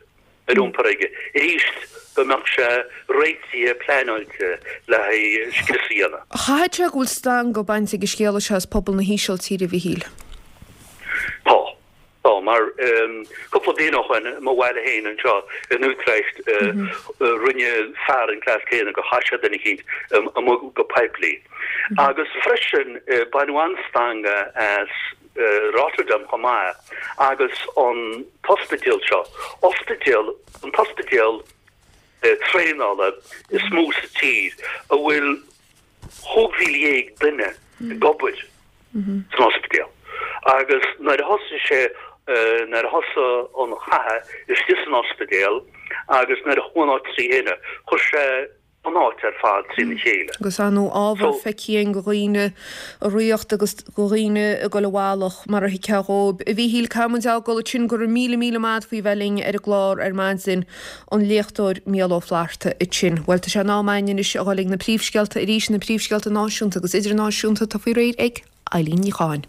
ar iompar aige. Arís, go mbeadh sé réitithe, pleanáilte le haghaidh scrios a dhéanamh. Chaithfeadh sé go bhfuil stangadh bainte ag an scéala seo as pobal na hÍsiltíre, a Mhichíl. Tá. Tá, mar cúpla bliain ó shoin, i mo bhaile féin anseo in Utrecht, rinne fear an cleas céanna gur chaith sé duine eicínt amuigh go poiblí. Agus freisin, baineadh an-stangadh as Rotterdam chomh maith agus an t-ospidéal seo, ospidéal, an t-ospidéal traenála is mó sa tír, a bhfuil 15,000 duine ag obair san ospidéal agus nuair a thosaigh sé, nuair a thosaigh an chath istigh san ospidéal agus nuair a chuaigh an áit trí thine, chuir sé an áit ar fad trína chéile. Agus ar ndóigh ábhar feicthe againn de dhaoine ag ritheacht agus de dhaoine ag dul a bhealach mar a thuigfeá dhóibh. A Mhíchíl, caithfidh muid a fhágáil ansin. Go raibh míle míle maith agat faoi bheith linn ar an gclár ar maidin. an léachtóir Mícheál Ó Flatharta ansin. Bhuel, tá sé in am againn anois a dhul ag na príomhscéalta arís, na príomhscéalta náisiúnta agus idirnáisiúnta atá faoi réir ag Eileen Ní Chatháin.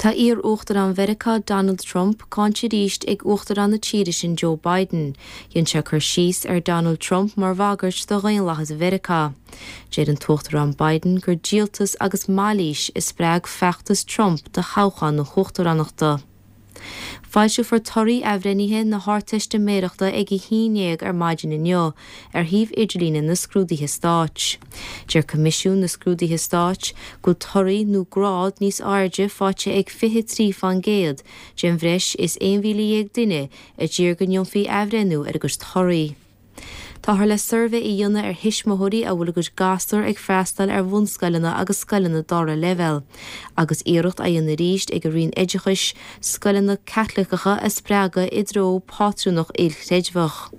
Tá iar-Uachtarán Mheiriceá Donald Trump cáinte arís ag Uachtarán na tíre sin Joe Biden. Dhein sé cur síos ar Donald Trump mar bhagairt do dhaonlathas Mheiriceá. Deir an tUachtarán Biden gur díoltas agus mailís a spreag feachtas Trump do thoghchán na huachtaránachta. Foilseofar torthaí athbhreithnithe na hArdteistiméireachta ag a 11 ar maidin inniu ar shuíomh idirlíne na Scrúduithe Stáit. Deir Coimisiún na Scrúduithe Stáit go bhfuil torthaí nó grád níos airde faighte ag 23 fán gcéad den bhreis is 11,000 duine a d'iarr go ndéanfaí athbhreithniú ar a gcuid torthaí. Táthar le suirbhé a dhéanamh ar thuismitheoirí a bhfuil a gcuid gasúr ag freastal ar bhunscoileanna agus scoileanna dara leibhéal, agus iarracht á dhéanamh arís ag an Roinn Oideachais scoileanna Caitliceacha a spreagadh i dtreo pátrúnacht ilchreidmheach.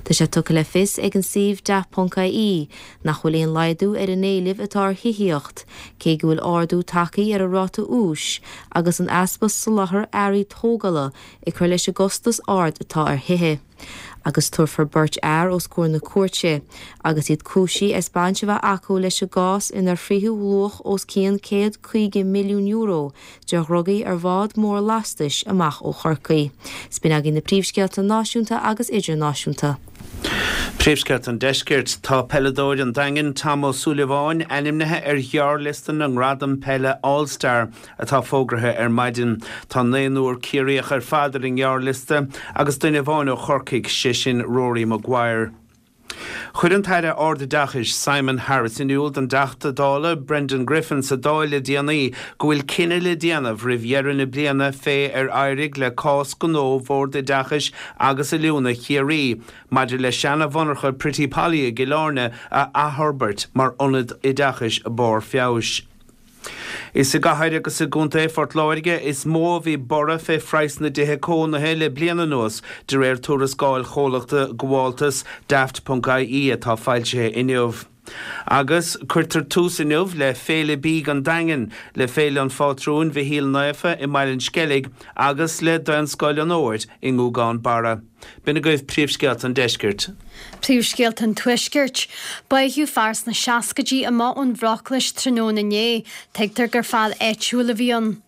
Tá sé tugtha le fios ag an suíomh Daft.ie nach bhfuil aon laghdú ar an éileamh atá ar thithíocht, cé go bhfuil ardú tagtha ar an ráta úis agus an easpa soláthair earraí tógála ag cur leis an gcostas ard atá ar thithe. agus tabharfar beirt fhear os comhair na cúirte agus iad cúisithe as baint a bheith acu leis an gcás inar frítheadh luach os cionn €150 milliún de dhrugaí ar bhád mór lastais amach ó Chorcaigh. 'S b'in agaibh na príomhscéalta náisiúnta agus idirnáisiúnta. Príomhscéalta an Deiscirt, Tá peileadóir an Daingin, Tom Ó Súilleabháin, ainmnithe ar ghearrliosta na ngradam peile All Star atá fógraithe ar maidin. Tá naonúr Ciarraíoch ar fad ar an ngearrliosta agus duine amháin ó Chorcaigh, sé sin Rory Maguire. Chuir an tAire Ardoideachais Simon Harris in iúl don dTeachta Dála Brendan Griffin sa Dáil le déanaí go bhfuil cinneadh le déanamh roimh dheireadh na bliana fé ar éirigh le cás gnó Bhord Oideachais agus Oiliúna Chiarraí maidir le seana-mhonarcha Pretty Polly i gCill Airne a athfhorbairt mar ionad oideachais barr feabhais. Is i gcathair agus i gContae Phort Láirge is mó a bhí borradh fé phraghas na dtithe cónaithe le bliain anuas, de réir tuarascáil chomhlachta gabháltas Daft.ie atá foilsithe inniu. Agus cuirtear tús inniu le Féile Bídh an Daingin, le Féile an Phátrúin Mhichíl Naofa i mBaile an Sceilg agus le Daonscoil an Fhómhair i nGúgán Barra. B'in agaibh príomhscéalta an deiscirt. Príomhscéalta an Tuaiscirt. Báitheadh fear sna seascaidí amach ón bhRoclais tráthnóna inné. Tuigtear gur fear áitiúil a bhí ann.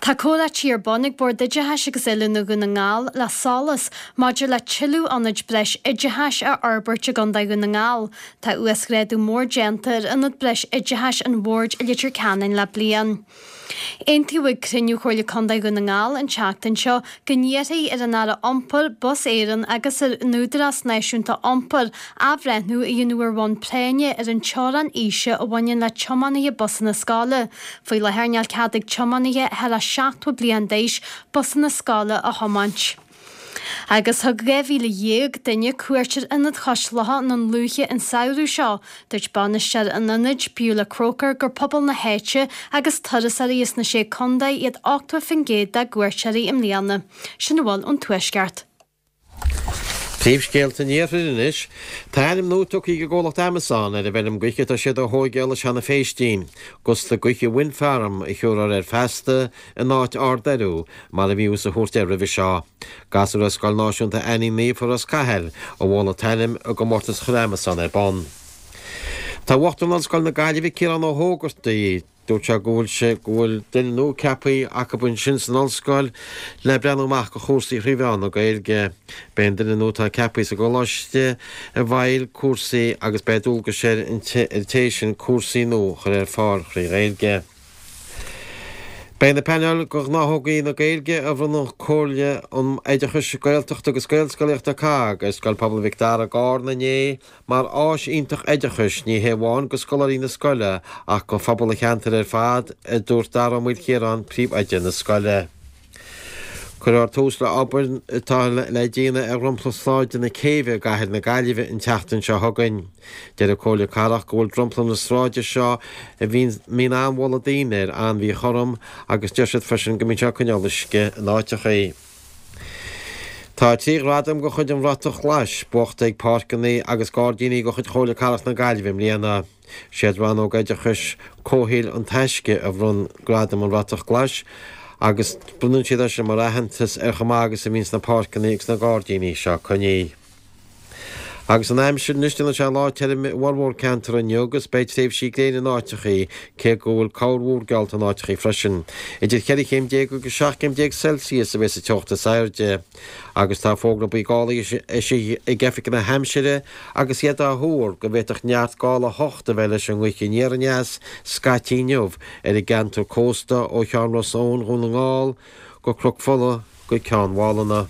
Tá comhráití ar bun ag Bord Oideachais agus Oiliúna Dhún na nGall le SOLAS maidir le tuilleadh ionaid breis oideachais a fhorbairt i gContae Dhún na nGall. Tá uasghrádú mór déanta ar Ionad Breis Oideachais an Bhoird i Leitir Ceanainn le bliain. Aontaíodh ag cruinniú Chomhairle Contae Dhún na nGall an tseachtain seo go n-iarrfaí ar an Aire Iompair, Bus Éireann agus ar an Údarás Náisiúnta Iompair athbhreithniú a dhéanamh ar bhonn práinne ar an teorainn aoise a bhaineann le tiománaithe busanna scoile. Faoi láthair níl cead ag tiománaithe thar 70 bliain d'aois busanna scoile a thiomáint. Agus thug 12,000 duine cuairt ar Ionad Chois Locha i nDún Lúiche an samhradh seo. Dúirt bainisteoir an ionaid, Beulah Croker, gur pobal na háite agus turasóirí as na Sé Contae iad 80% dá gcuairteoirí i mbliana. Sin a bhfuil ón Tuaisceart. Príomhscéalta an Iarthair anois. Tá ainm nua tugtha ag an gcomhlacht Amazon ar an bhfeirm gaoithe atá siad a thóigeáil i Seanadh Phéistín. Gusna Gaoithe Wind Farm a thiúrfar air feasta in áit Ard Eiriú mar a bhíothas a thabhairt air roimhe seo. Gasúir ó Scoil Náisiúnta Annie Naofa Ros Cathail a mhol an t-ainm i gcomórtas a chuir Amazon ar bun. Tá Uachtarán Ollscoil na Gaillimhe Ciarán Ó hÓgartaigh, Dúirt sé go bhfuil sé go bhfuil duine nua ceaptha acu ansin san ollscoil le breathnú amach go chúrsaí thrí mheán na Gaeilge. Beidh an duine nua atá ceaptha sa gcoláiste i bhfeighil cúrsaí agus beidh dualgais ar an té sin cúrsaí nua a chur ar fáil thrí Ghaeilge. Beidh na painéil de ghnáthógaí na Gaeilge a bhronn Comhairle um Oideachais Gaeltachta agus Gaelscolaíochta, COGG, ar Scoil Pobail Mhic Dara i gCarna inné Mar áis iontach oideachais, ní hé amháin go scoláirí na scoile ach go phobal an cheantair ar fad, a dúirt Dara Ó Maoilchiaráin, príomhoide na scoile. Cuirfear tús le obair atá le déanamh ar dhromchla sráide na Céibhe i gcathair na Gaillimhe an tseachtain seo chugainn. Deir an Comhairle Cathrach go bhfuil dromchla na sráide seo, a mbíonn an-bholadh daoine air, an-mhíchothrom agus deir siad freisin go mbíonn sé ag coinneáil uisce in áiteachaí. Tá 3 ghradam de chuid an Bhratach Ghlais buachta ag páirceanna agus gairdíní de chuid Chomhairle Cathrach na Gaillimhe i mbliana. Siad Rannóg Oideachais Comhshaoil An Taisce a bhronn Gradam an Bhratach Ghlais agus bronnann siad é sin mar aitheantas ar chomh maith agus a bhíonns na páirceanna agus na gairdíní seo coinnithe. Agus an aimsir anois, déanfaidh sé lá tirim i bhformhór ceantar inniu agus beidh tréimhsí gréine in áiteachaí, cé go bhfuil corrmhúr geallta in áiteachaí freisin. Idir 14 chéim agus 17 chéim Celsius a bheas an teocht is airde. Agus tá fógra buí gála eisithe ag Oifig na hAimsire agus iad á thuar go bhféadfadh neart gála 8 a bheith leis an ngaoth aniar aneas scaití inniu ar an gceantar cósta ó Cheann Ros Eoin Dhún na nGall go Cnoc Fola go Ceann Mhálanna.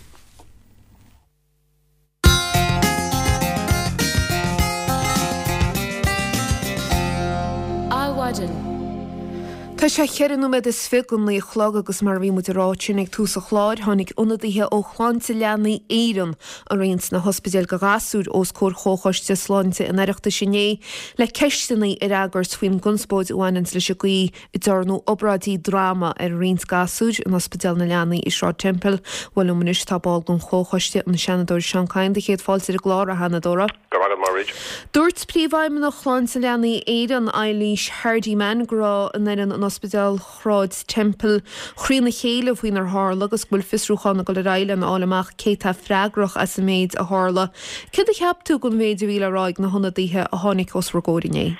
Adhmhaidin. Tá sé cheithre nóiméad is fiche go naoi a chlog agus mar a bhí muid a rá ansin ag tús an chláir, tháinig ionadaithe ó Shláinte Leanaí Éireann araon sna hospidéil do ghasúir os comhair Chomhchoiste Sláinte an Oireachtais inné le ceisteanna a fhreagairt faoin gconspóid a bhaineanns leis an gcaoi a ndearnadh obráidí droma ar roinnt gasúir in Ospidéal na Leanaí i Sráid Temple. Bhuel liom anois tá ball den Chomhchoiste, an Seanadóir Seán Kyne. Do chéad fáilte ar an gclár, a Sheanadóra. Go raibh maith agat, Mairéad. Dúirt Príomhfheidhmeannach Shláinte Leanaí Éireann, Eilís Hardiman, go raibh an fhoireann in Ospidéal Shráid Temple thrína chéile faoinar tharla agus go bhfuil fiosrúchán ag dul ar aghaidh lena fháil amach cé tá freagrach as an méid a tharla. Céard a cheap tú den mhéid a bhí le rá ag na hionadaithe a tháinig os bhur gcomhair inné?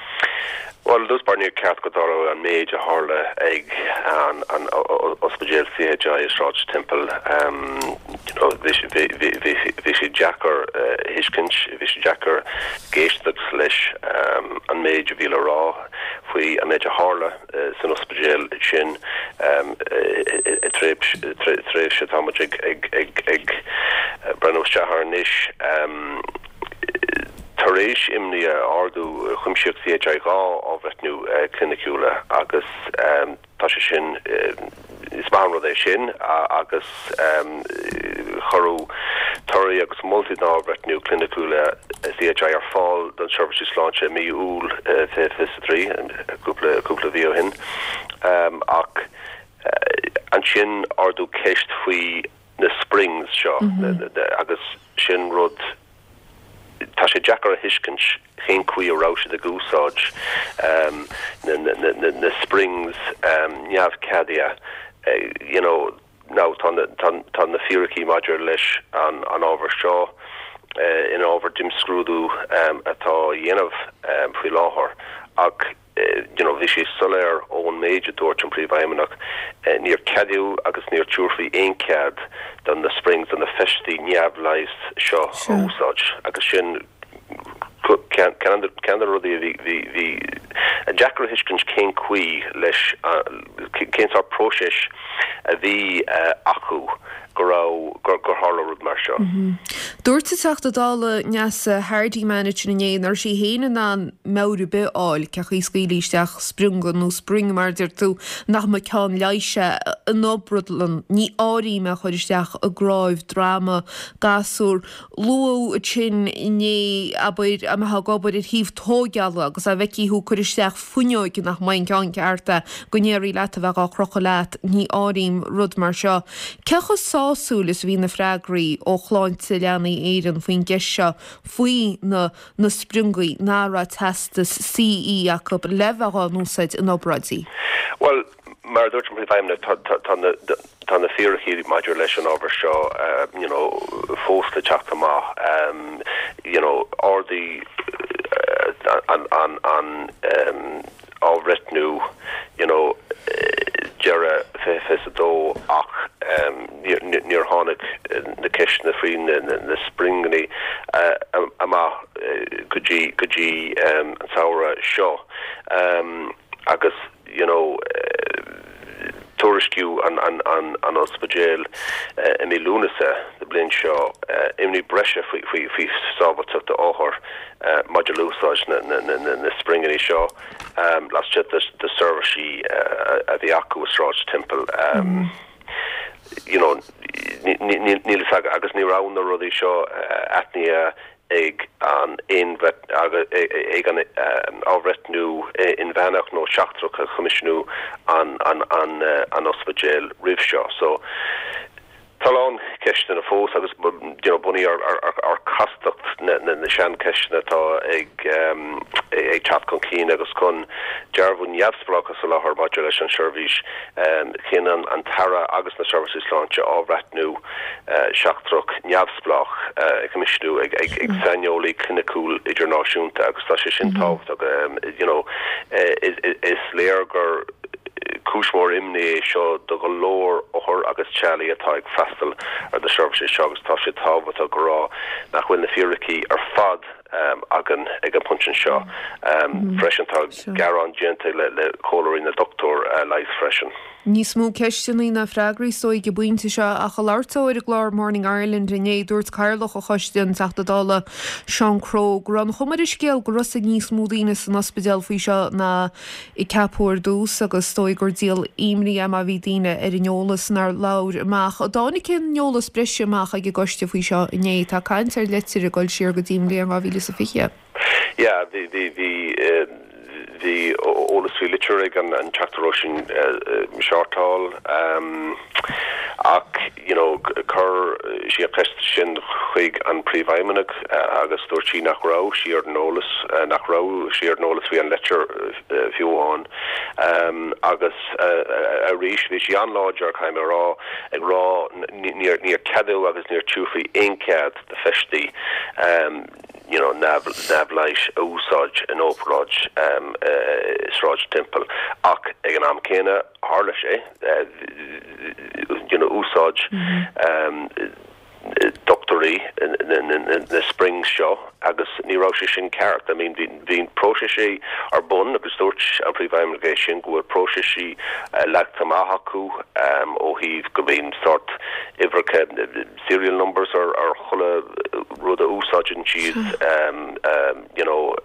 Bhuel, i dtús báire níor cheart go dtarlódh an méid a tharla ag an ospidéal CHI i Sráid Temple. Bhí sé deacair a thuiscint, bhí sé deacair éisteacht leis an méid a bhí le rá faoi an méid a tharla san ospidéal sin i tréimhse atá muid ag breathnú isteach air anois. Tar éis imní a ardú, chuimsigh CHI 2 athbhreithniú cliniciúla agus tá sé sin, is maith an rud é sin agus cuireadh torthaí agus moltaí na n-athbhreithniú cliniciúla CHI ar fáil don Seirbhísí Sláinte i mí Iúil 2023, cúpla cúpla mhí ó shin. Ach ansin ardú ceist faoi na springs seo agus sin rud, tá sé deacair a thuiscint cén chaoi a raibh siad ag úsáid na springs neamhcheadaithe you know. Now tá tá na fíricí maidir leis an ábhar seo ina ábhar d'imscrúdú atá á dhéanamh faoi láthair ach. You know, bhí sé soiléir ón méid a dúirt an Príomhfheidhmeannach, níor ceadaíodh agus níor tabharfaí aon cead do na springs, do na feistí neamh-leighis seo a úsáid agus sin ceann de na rudaí a bhí, bhí, bhí deacair a thuiscint cén chaoi leis, cén sórt próiseas a bhí acu go raibh, gur tharla rud mar seo. Dúirt an Teachta Dála Neasa Hardiman ansin inné nach raibh sí féin in ann meabhair ar bith a fháil cén chaoi a scaoilfí isteach sprionga nó spring mar a deir tú nach mba ceann leighis é in obradlann. Ní áirím é a chur isteach i gcnáimh droma gasúr. Luadh ansin inné, abair, a mbeifeá ag obair ar shuíomh tóigeála agus dá bhfeicfí thú ag cur isteach fuinneoig nach mba an ceann ceart é, go ndéarfaí leat a bheith dhá chrochadh leat, ní áirím rud mar seo. Cé chomh sásúil is a bhí na freagraí ó Shláinte Leanaí Éireann faoin gceist seo faoi na na spriongaí nach raibh teastas CE acu le bheith dhá n-úsáid in obráidí? Bhuel, mar a dúirt an Príomhfheidhmeannach, tá, tá na, tá na fíricí maidir leis an ábhar seo you know fós le teacht amach. You know ardaíodh an, an, an athbhreithniú you know deireadh 2022 ach níor, níor tháinig na ceisteanna faoi na, na springanna amach go dtí, go dtí an samhradh seo agus you know tuairiscíodh an an an an ospidéal i mí Lúnasa na bliana seo imní breise faoi faoi faoi sábháilteacht d'othair maidir le úsáid na na na na springanna seo laistigh de de seirbhísí a bhí acu i Sráid Temple. You know níl níl fhios agam agus ní raibh na rudaí seo aithnithe ag an ag an athbhreithniú inmheánach nó seachtrach a choimisiúnaigh an ospidéal roimh seo. So tá a lán ceisteanna fós agus you know bunaithe ar chastacht na na seancheisteanna atá ag ag teacht chun cinn agus chun dearbhú neamhspleách a soláthar maidir leis an seirbhís chinn an tAire agus na seirbhísí sláinte athbhreithniú seachtrach neamhspleách a choimisiúnú ag saineolaí cliniciúil idirnáisiúnta agus tá sé sin tábhachtach. You know is léir gur cúis mhór imní é seo do go leor othar agus teaghlaigh atá ag freastal ar na seirbhísí seo agus tá sé tábhachtach a rá nach bhfuil na fíricí ar fad againn ag an bpointe seo. Freisin tá gearán déanta le Comhairle na nDochtúirí Leighis freisin. Níos mó ceisteanna ná freagraí is dóigh ag an bpointe seo ach ag labhairt dó ar an gclár Morning Ireland inné dúirt Cathaoirleach an Choiste, an Teachta Dála Seán Crowe, go raibh an chuma ar an scéal go raibh a fhios ag níos mó daoine san ospidéal faoi seo ná a ceapadh ar dtús agus is dóigh gur díol imní é má bhí daoine ar an eolas nár labhair amach. An dtáinig aon eolas breise amach ag an gcoiste faoi seo inné? Tá caint ar leitir ag dul siar go dtí an bhliain 2020. Yeah, bhí, bhí, bhí, bhí eolas faoi litir ag an Teachta Róisín Shortall ach, you know, chuir sí an cheist sin chuig an Príomhfheidhmeannach agus dúirt sí nach raibh sí ar an eolas, nach raibh sí ar an eolas faoi an leitir fiú amháin. Agus arís, bhí sí an-láidir, caithfidh mé a rá, ag rá níor, níor ceadaíodh agus níor tabharfaí aon chead do feistí. you know neamh-leighis a úsáid in obráid i Sráid Temple ach ag an am céanna tharla sé you know úsáid dochtúirí na springs seo agus ní raibh sé sin ceart. I mean bhí bhí próiseas ar bun agus dúirt an Príomhfheidhmeannach é sin go bhfuil próiseas leagtha amach acu ó thaobh go mbíonn sórt uimhreacha serial numbers ar ar chuile rud a úsáideann siad you know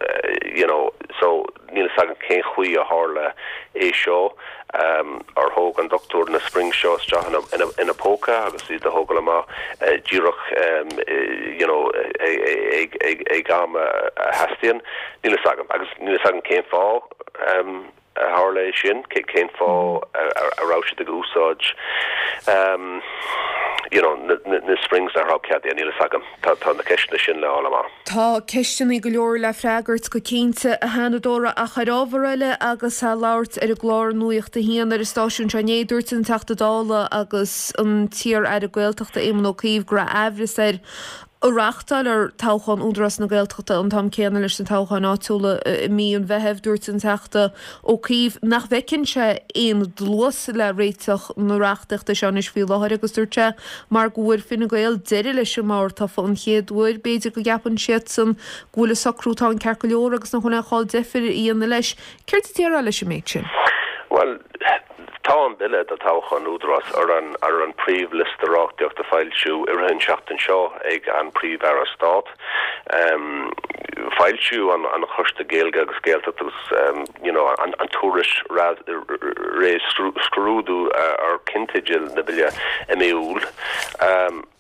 you know so níl fhios agam cén chaoi a tharla é seo ar thóg an dochtúir na springs seo isteach ina ina ina póca agus iad a thógáil amach díreach you know ag ag ag am a theastaíonn níl fhios agam agus níl fhios agam cén fáth a tharla é sin, cén fáth a raibh siad ag úsáid you know na springs nach raibh ceadaithe, níl fhios agam. Tá tá na ceisteanna sin le fháil amach. Tá ceisteanna go leor le freagairt go cinnte, a Sheanadóra, ach ar ábhar eile agus é ag labhairt ar an gclár Nuacht a hAon ar an stáisiún seo inné, dúirt an Teachta Dála agus an t-iar-Aire Gaeltachta Éamon Ó Cuív go raibh aimhreas air. A reáchtáil toghchán Údarás na Gaeltachta an t-am céanna leis na toghcháin áitiúla i mí an Mheithimh, dúirt an Teachta Ó Cuív nach bhfeiceann sé aon dluas le réiteach na reachtaíochta seo anois faoi láthair agus dúirt sé mar go bhfuair Fine Gael deireadh leis an mbord tofa an chéad uair, b'fhéidir go gceapann siadsan go bhfuil an socrú atá ann ceart go leor agus nach bhfuil aon chall deifir a dhéanamh leis. Céard a déarfá leis an méid sin? Bhuel, tá an Bille do Toghchán Údarás ar an ar an príomhliosta reachtaíochta a foilsiú i rith an seachtain seo ag an Príomh-Aire Stát. Foilsiú an an Choiste Gaeilge agus Gaeltacht agus you know an an tuairisc réamh-scrúdú ar cinnteidil na Bille i mí Iúil.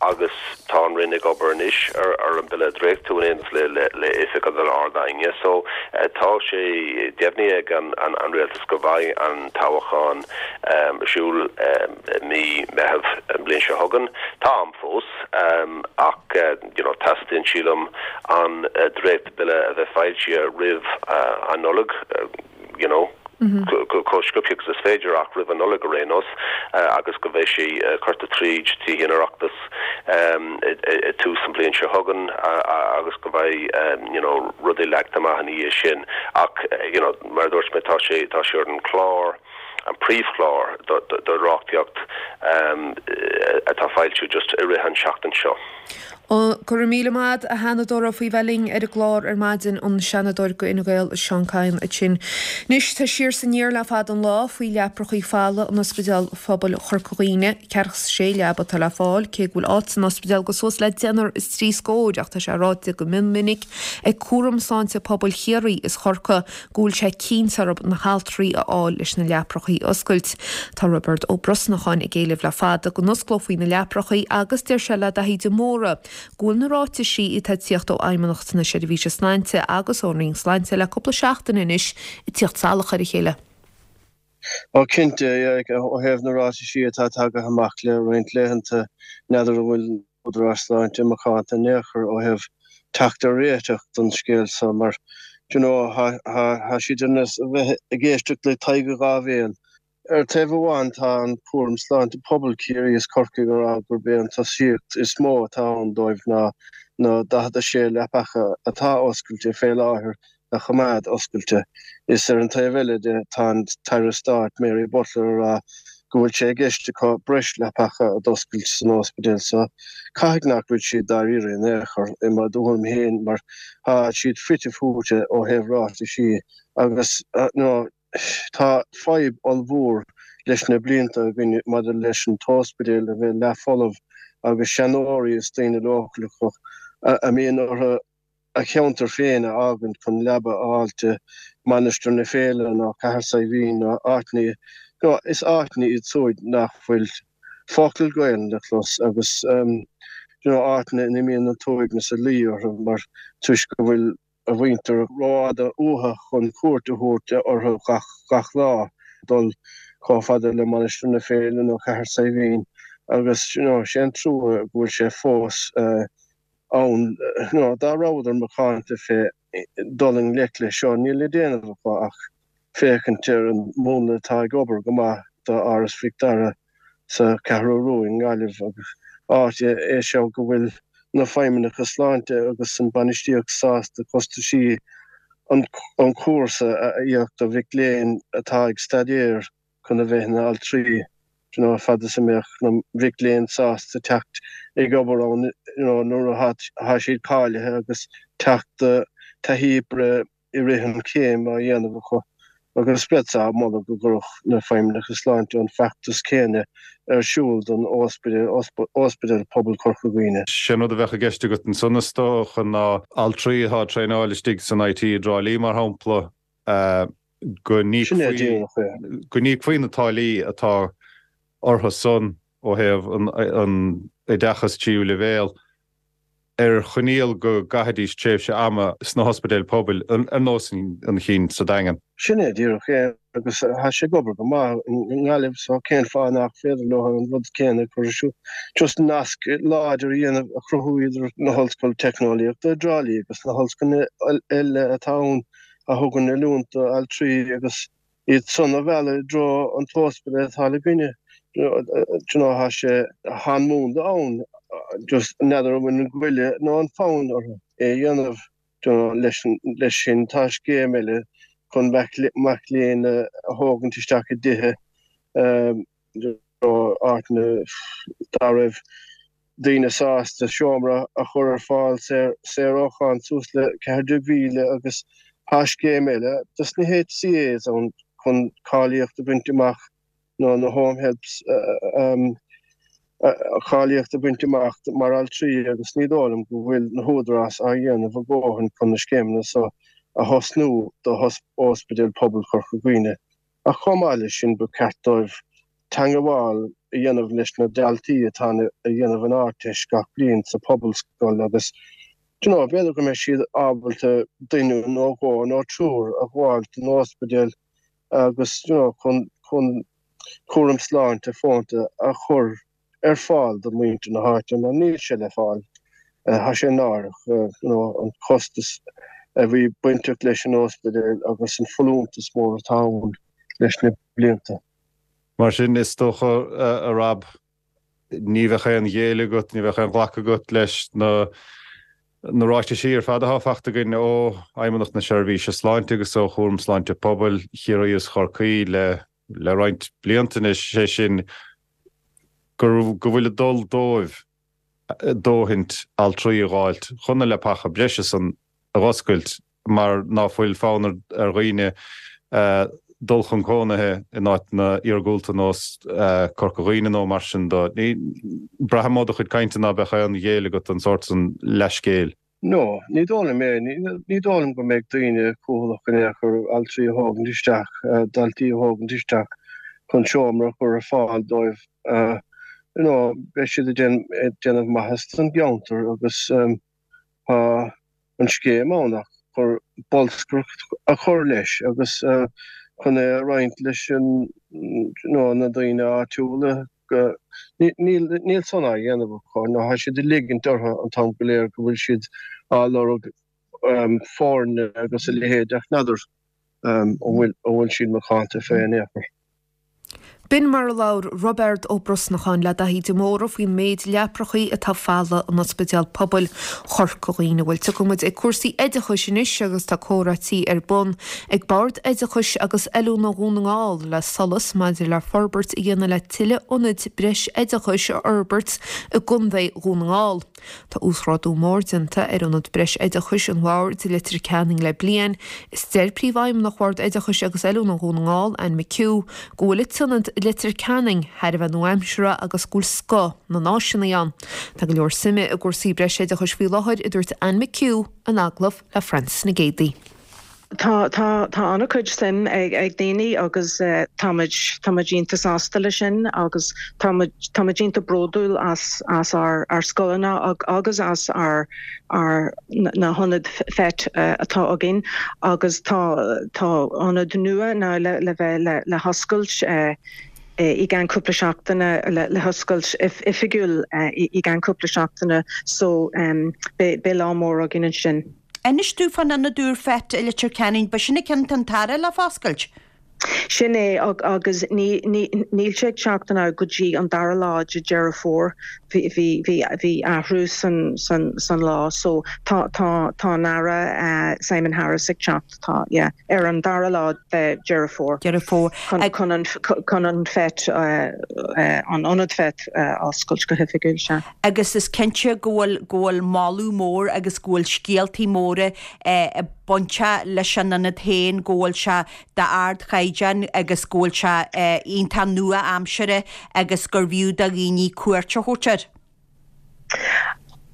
Agus tá an Roinn ag obair anois ar an Bille a dhréachtú in éineacht le le Oifig an Ard-Aighne. So tá sé deimhnithe ag an Rialtas go mbeidh an toghchán ar siúl i mí Meitheamh an bhliain seo chugainn. Tá am fós ach you know teastaíonn sílim an dréacht-Bhille a bheith foilsithe roimh an Nollaig you know. chomh sciobtha agus is féidir ach roimh an Nollaig ar aon nós agus go mbeidh sé curtha tríd Tithe an Oireachtais i tús an bhliain seo chugainn agus go mbeidh you know rudaí leagtha amach ina dhiaidh sin ach you know mar a dúirt mé tá sé tá sé ar an chlár an príomhchlár do do reachtaíocht atá foilsiú just i rith an seachtain seo. Go raibh míle maith a'd, a Sheanadóra, faoi bheith linn ar an gclár ar maidin, an Seanadóir go Fhine Gael, Seán Kyne ansin. Anois, tá siar is aniar le fada an lá faoi leaprachaí fola in Ospidéal Phobail Chorca Dhuibhne. 46 leaba atá le fáil, cé go bhfuil áit san ospidéal go suas le deichniúr is trí scóir, ach tá sé ráite go mion minic ag Cúram Sláinte Pobail Chiarraí is Chorcaí go bhfuil sé cinnte orthu na haltraí a fháil leis na leaprachaí a oscailt. Tá Roibeard Ó Brosnacháin ag éileamh le fada go n-osclófaí na leaprachaí agus deir sé le Daithí de Mórdha go bhfuil na ráitisí atá ag tíocht ó Fheidhmeannacht na Seirbhíse Sláinte agus ón Roinn Sláinte le cúpla seachtain anois ag tíocht salach ar a chéile. Ó cinnte, ó thaobh na ráitisí atá tagaithe amach le roinnt laethanta, n'fheadar an bhfuil Údaráis Sláinte macánta in aon chor ó thaobh teacht ar réiteach don scéal seo mar d'you know thá siad ar nós a bheith ag éisteacht le Tadhg a dhá bhéal. Ar taobh amháin tá an cúram sláinte pobail Ciarraí is Corcaigh ag rá gurb é an tosaíocht is mó atá ann dóibh ná na 46 leapacha atá oscailte fé láthair a choimeád oscailte. Is ar an taobh eile de tá an tAire Stáit Mary Butler ag rá go bhfuil sé i gceist acu breis leapacha a d'oscailt san óspidéal so caithfidh nach bhfuil siad dáiríre in aon chor i mo thuairim féin mar tá siad fite fuaite ó thaobh ráitisí agus you know tá fadhb ollmhór leis na blianta againn maidir leis an t-óspidéal a bheith leathfholamh agus seanóirí is daoine leochaileacha a mbíonn orthu a cheantar féin a fhágaint chun leaba a fháilt i Mainistir na Féile nó Cathair Saidhbhín nó áiteanna, nó is áiteanna iad súid nach bhfuil focal Gaelainn le clos agus you know áiteanna ina mbíonn an t-uaigneas ag luí orthu mar toisc go bhfuil a mhuintir rófhada uathu chun cuairt a thabhairt orthu gach gach lá, dul chomh fada le Mainistir na Féile nó Cathair Saidhbhín agus you know sé an trua go bhfuil sé fós ann. Dá rabhadar macánta fé dul i ngleic leis seo, níl le déanamh acu ach féachaint ar an múnla atá ag obair go maith do Áras Mhic Dara sa Cheathrú Rua i nGaillimh agus áit é seo go bhfuil na feidhmeannacha sláinte agus an bainistíocht sásta costaisí an chúrsa a íoc do mhic léinn atá ag staidéar chun a bheith ina altraí, you know, fad is a mbeadh na mhic léinn sásta teacht ag obair ann, you know, nuair atá siad cáilithe agus teacht taithí oibre i rith an chéim á dhéanamh acu. Agus bheadh-sa ag moladh go gcuirfeadh na feidhmeannacha sláinte an feachtas céanna ar siúl don óspidéal, Ospidéal Pobail Chorca Dhuibhne. Sé an rud a bheadh i gceist agat ansan is dócha ná altraí atá ag traenáil istigh san IT i dTrá Lí mar shampla, go n-íocfaí na táillí atá orthu san ó thaobh an oideachas tríú leibhéal ar choinníoll go gcaithfidís tréimhse ama sna hospidéil pobail ar nós an chinn sa Daingean. Sin é díreach é agus tá sé ag obair go maith i nGaillimh so cén fáth nach féidir leo an rud céanna a chur ar siúl? Just nasc láidir a dhéanamh, a chruthú idir na hOllscoil Teicneolaíochta i dTrá Lí agus na hollscoileanna eile atá ann a thugann oiliúint do altraí agus iad san a mhealladh i dtreo an t-ospidéal atá le againne. Do you know, tá sé, tá an múnla ann. just n'fheadar an bhfuil an goile nó an fonn orthu é a dhéanamh. Do you know, leis leis sin tá scéim eile chun mac mac léinn a thógaint isteach i dtithe you know, áiteanna dá raibh daoine sásta seomra a chur ar fáil saor saor ó cháin suas le 14,000 agus tá scéim eile dos na HCAs ann chun cáilíocht a bhaint amach nó na home helps cáilíocht a bhaint amach mar altraí agus ní dóigh liom go bhfuil na húdaráis á dhéanamh a ndóthain chun na scéimeanna so a thosnú do Ospidéal Pobail Chorca Dhuibhne. Ach chomh maith leis sin ba cheart dóibh teangabháil a dhéanamh leis na daltaí atá a dhéanamh an Ardteist gach bliain sa Phobalscoil agus do you know b'fhéidir go mbeidh siad ábalta duine nó dhó nó triúr a ghabháil don ospidéal agus you know chun chun cúram sláinte fónta a chur ar fáil do mhuintir na háite mar níl sé le fáil. Tá sé náireach you know an costas a bhí bainteach leis an ospidéal agus an folúntas mór atá ann leis na blianta. Mar sin, is dócha, a Rob, ní bheadh aon ghéilleadh agat, ní bheadh aon ghlacadh agat leis na na ráitisí ar fad atá fachta againn ó Fheidhmeannacht na Seirbhíse Sláinte agus ó Chúram Sláinte Pobail Chiarraí is Chorcaí le le roinnt blianta anois, sé sin go go bhfuil ag dul dóibh dóthaint altraí a dh'fháilt chun na leapacha breise san a dh'oscailt mar ná fuil fonn ar dhaoine dul chun cónaithe in áiteanna iargúlta nós Corca Dhuibhne nó mar sin do. Braithim ó do chuid cainte ná beadh aon ghéilleadh agat don sórt san leathscéil. No, ní dóigh liom é. Ní dóigh liom go mbeidh daoine cúthalach in aon chor altraí a thógaint isteach, daltaí a thógaint isteach chun seomra a chur ar fáil dóibh. You know, beidh siad ag déanamh maitheas don gceantar agus tá an scéim ann ach chun bolscaireacht a chur leis agus chun é a roinnt leis an, you know, na daoine áitiúla. Níl, níl san á dhéanamh acu nó tá siad ag ligint orthu an t-am go léir go bhfuil siad á lorg foirne agus a leithéid ach n'fheadar an bhfuil, an bhfuil siad macánta fé in aon chor. B'in mar a labhair Roibeard Ó Brosnacháin le Daithí de Mórdha faoin méid leaprachaí atá folamh in Ospidéal Pobail Chorca Dhuibhne. Bhuel, tiocfaidh muid ag cúrsaí oideachais anois agus tá comhráití ar bun ag Bord Oideachais agus Oiliúna Dhún na nGall le SOLAS maidir le forbairt a dhéanamh le tuilleadh ionaid breis-oideachais a fhorbairt i gContae Dhún na nGall. Tá uasghrádú mór déanta ar Ionad Breis-Oideachais an Bhoird i Leitir Ceanainn le bliain, is deir Príomhfheidhmeannach Bhord Oideachais agus Oiliúna Dhún na nGall, Anne McHugh, go bhfuil an t-ionad i Leitir Ceanainn thar a bheith nua-aimseartha agus go bhfuil scoth na n-áiseanna ann. Tá go leor suime i gcúrsaí breis-oideachais faoi láthair, a dúirt Anne McHugh in agallamh le Frances Nic Géadaigh. Tá, tá, tá an-chuid suim ag, ag daoine agus táimid, táimid iontach sásta leis sin agus táimid, táimid iontach bródúil as, as ár, ár scoileanna agus as ár, ár, na hionaid FET atá againn agus tá, tá ionad nua now le, le bheith, le, le hoscailt i gceann cúpla seachtaine, le, le hoscailt oifigiúil i gceann cúpla seachtaine so beidh, beidh lá mór againn ansin. Inis domh fán ionad úr FET i Leitir Ceanainn, ba sin an ceann atá an tAire le foscailt? Sin é, agus níl sé ag teacht now go dtí an dara lá de Deireadh Fómhair. Bhí athrú san lá so tá tá an Aire Simon Harris ag teacht, tá, yeah, ar an dara lá de Deireadh Fómhair. Deireadh Fómhair. Chun an chun an FET, an ionad FET a oscailt go hoifigiúil, sea. agus is cinnte go bhfuil, go bhfuil moladh mór agus go bhfuil scéaltaí móra bainteach leis an ionad féin, go bhfuil sé d'ardchaighdeán agus go bhfuil sé iontach nua-aimseartha agus gurbh fhiú do dhaoine cuairt a thabhairt air.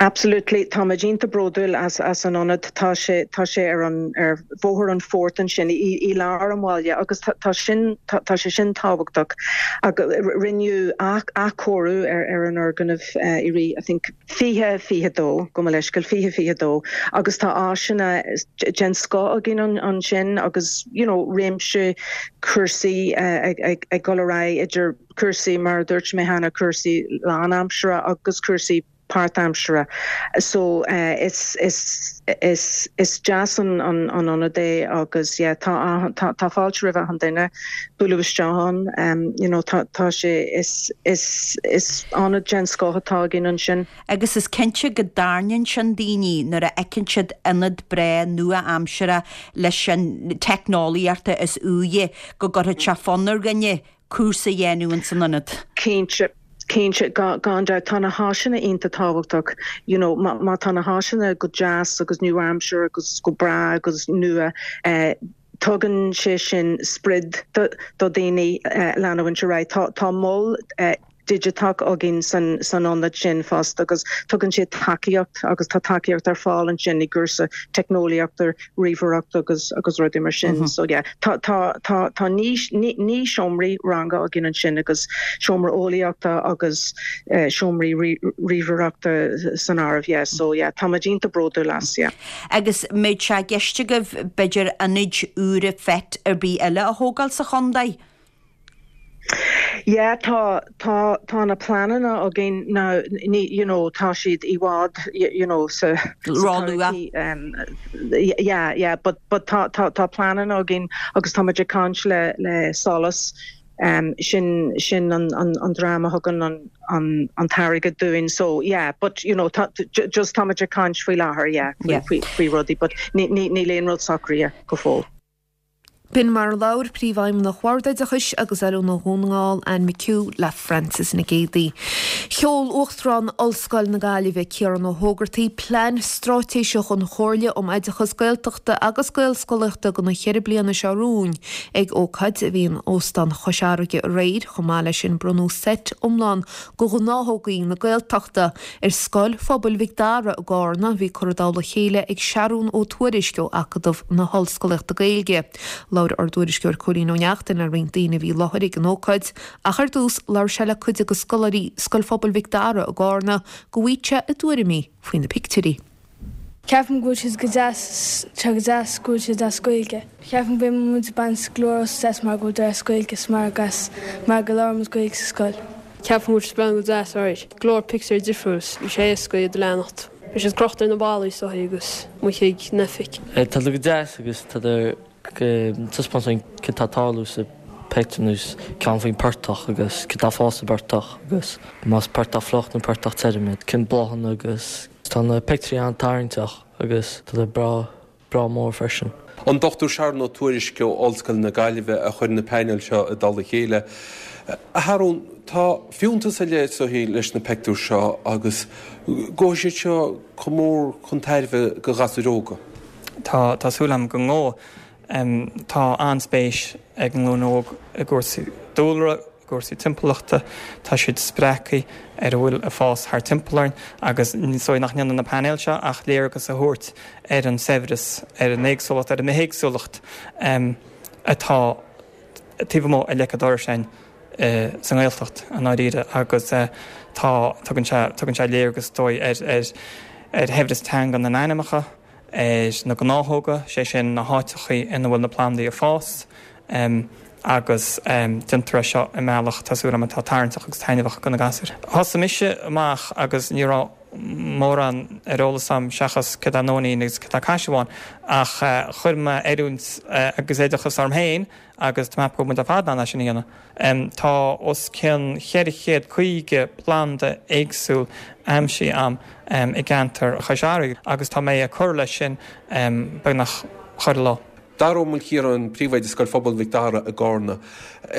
Absolutely, táimid iontach bródúil as as an ionad. Tá sé tá sé ar an ar Bhóthar an Phoirt ansin i i lár an bhaile agus tá tá sin tá tá sé sin tábhachtach. Agus rinneadh athchóiriú ar ar an fhoirgneamh i rith I think 2022, gabh mo leithscéal, 2022 agus tá áiseanna den scoth againn ansin agus you know réimse cúrsaí ag ag ag dul ar aghaidh idir cúrsaí mar a dúirt mé cheana, cúrsaí lánaimseartha agus cúrsaí. páirtaimseartha. So is is is is deas an an an ionad é agus yeah tá tá tá fáilte roimh achan duine bualadh isteach ann. You know tá tá sé is is is ionad den scoth atá againn ansin. Agus is cinnte go dtarraingíonn sin daoine nuair a fheiceann siad ionad breá nua-aimseartha leis an teicneolaíocht is úire go gcuirfeadh sé fonn ar dhuine cúrsa a dhéanamh ins an ionad. Cinnte, cinnte, gan dabht. Tá na háiseanna iontach tábhachtach, you know, má, má tá na háiseanna go deas agus nua-aimseartha agus go breá agus nua, eh, tugann sé sin sprid do, do dhaoine eh, leanúint ar aghaidh. Tá, tá mol eh, digiteach againn san, san ionad sin fosta agus tugann sé tacaíocht agus tá tacaíocht ar fáil ansin i gcúrsa teicneolaíochta, ríomhaireacht agus agus rudaí mar sin. So yeah, tá tá tá tá 9 seomraí ranga againn ansin agus seomra eolaíochta agus seomraí ríomhaireachta san áireamh, yeah. So yeah, tá muid iontach bródúil as, yeah. Agus an mbeadh sé i gceist agaibh b'fhéidir ionaid úra FET ar bith eile a thógáil sa chontae? Yeah, tá, tá, tá na pleananna againn now, ní, you know, tá siad i bhfad, you know, sa, sa Ró-luath. um, yeah, yeah, but, but tá, tá, tá pleananna againn agus tá muid ag caint le, le SOLAS, um, sin, sin an, an, an dream a thugann an, an, an t-airgead dúinn, so yeah, but, you know, tá, just tá muid ag caint faoi láthair, yeah, faoi, faoi, faoi rudaí, but ní, ní, níl aon rud socraithe go fóill. B'in mar a labhair Príomhfheidhmeannach Bhord Oideachais agus Oiliúna Dhún na nGall, Anne McHugh, le Frances Nic Géadaigh. Sheol Uachtarán Ollscoil na Gaillimhe, Ciarán Ó hÓgartaigh, plean straitéiseach an Chomhairle um Oideachas Gaeltachta agus Gaelscolaíochta do na cheithre bliana seo romhainn ag ócáid a bhí in Óstán Chois Fharraige aréir. Chomh maith leis sin bronnadh seit iomlán de ghnáthógaí na Gaeltachta ar Scoil Phobail Mhic Dara i gCarna, bhí curtha i dtoll a chéile ag Seathrún Ó Tuairisg ó Acadamh na hOllscolaíochta Gaeilge. Labhair ár dtuairisceoir Cóilín Ó Neachtain le roinnt daoine a bhí i láthair ag an ócáid, ach ar dtús labhair sé le cuid de scoláirí Scoil Phobail Mhic Dara i gCarna go bhfaigheadh sé a dtuairimí faoi na pictiúirí. Ceapaim go bhfuil siad go deas, tá go deas go bhfuil siad as Gaeilge. Ceapaim go mbeidh muid ag baint go leor úsáid as mar go bhfuil as Gaeilge is mar agus mar go labhraíonn muid Gaeilge sa scoil. Ceapaim go bhfuil siad breathnú go deas alright. Go leor pictiúir difriúil, bhí sé éasca iad a leanacht. Bhí siad crochta ar na ballaí is dóigh agus amuigh ag an oifig. Tá siad go deas agus tá taispeáint dúinn cad tá ag tarlú sa pictiúr nós ceann faoin portach agus cad tá ag fás sa bportach agus más portach fliuch nó portach tirim iad, cén bláthanna agus tá na pictiúirí an-tarraingteach agus tá siad breá, breá mór freisin. An Dr Seathrún Ó Tuairisg ó Ollscoil na Gaillimhe a chuir na painéil seo i dtoll a chéile. A Sheathrúin, tá fiúntas ar leith is dóichí leis na pictiúir seo agus gabhfaidh siad seo chomh mór chun tairbhe do ghasúir óga. Tá, tá súil agam go ngabhfaidh. Tá an-spéis ag an nglúin óg i gcúrsaí dúlra, i gcúrsaí timpeallachta. Tá siad spreagtha ar a bhfuil ag fás thart timpeall orainn agus is dóigh nach ndéanann na painéil seo ach léargas a thabhairt ar an saibhreas, ar an éagsúlacht, ar an mbithéagsúlacht atá taobh amuigh a leic an dorais againn sa nGaeltacht i ndáiríre agus tá, tugann sé, tugann sé léargas is dóigh ar, ar, ar shaibhreas teanga na n-ainmneacha. ar na gnáthóga, sé sin na háiteachaí ina bhfuil na plandaí ag fás, agus déantar é seo i mbealach, tá súil agam, atá tarraingteach agus taitneamhach do na gasúir. Thosaigh mise amach agus ní raibh mórán ar eolas agam seachas céard é nóinín agus céard é caisearbhán, ach chuir mé oiliúint agus oideachas orm féin agus tá mé ag ceapadh go bhfuil muid ar fad in ann é sin a dhéanamh. Tá os cionn 450 planda éagsúil aimsithe agam i gceantar Chois Fharraige agus tá mé ag cur leis sin beagnach chuile lá. Dara Ó Maoilchiaráin, Príomhoide Scoil Phobail Mhic Dara i gCarna.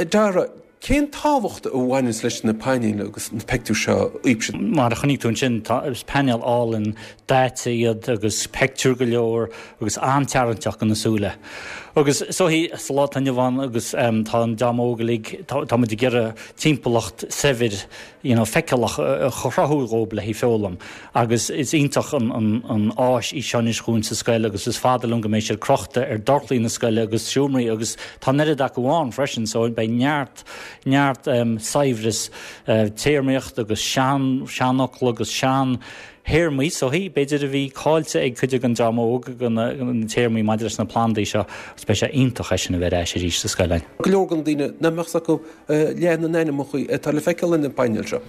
Dara, cén tábhacht a bhaineanns leis na painéil agus na pictiúir seo dhaoibhse? Mar a chonaic tú ansin, tá, is painéil álainn daite iad agus pictiúir go leor agus an-tarraingteach do na súile. Agus is dóichí sa lá atá inniu ann agus tá an dream óg uilig, tá muid ag iarraidh timpeallacht saibhir you know feiceálach a chruthú dhóibh le haghaidh foghlaim agus is iontach an áis í seo anois dhúinn sa scoil agus is fada liom go mbeidh siad crochta ar dorchlaí na scoile agus seomraí agus tá an oiread acu ann freisin so beidh neart neart saibhreas téarmaíocht agus sean seanfhocla agus sean. théarmaí is dóichí, b'fhéidir a bhí caillte ag cuid den dream óg de na téarmaí maidir leis na plandaí seo agus beidh sé iontach é sin a bheith ar ais arís sa scoil againn. Go leor de na daoine nach mbeadh 's acu leath na n-ainmneacha atá le feiceáil ar na painéil seo.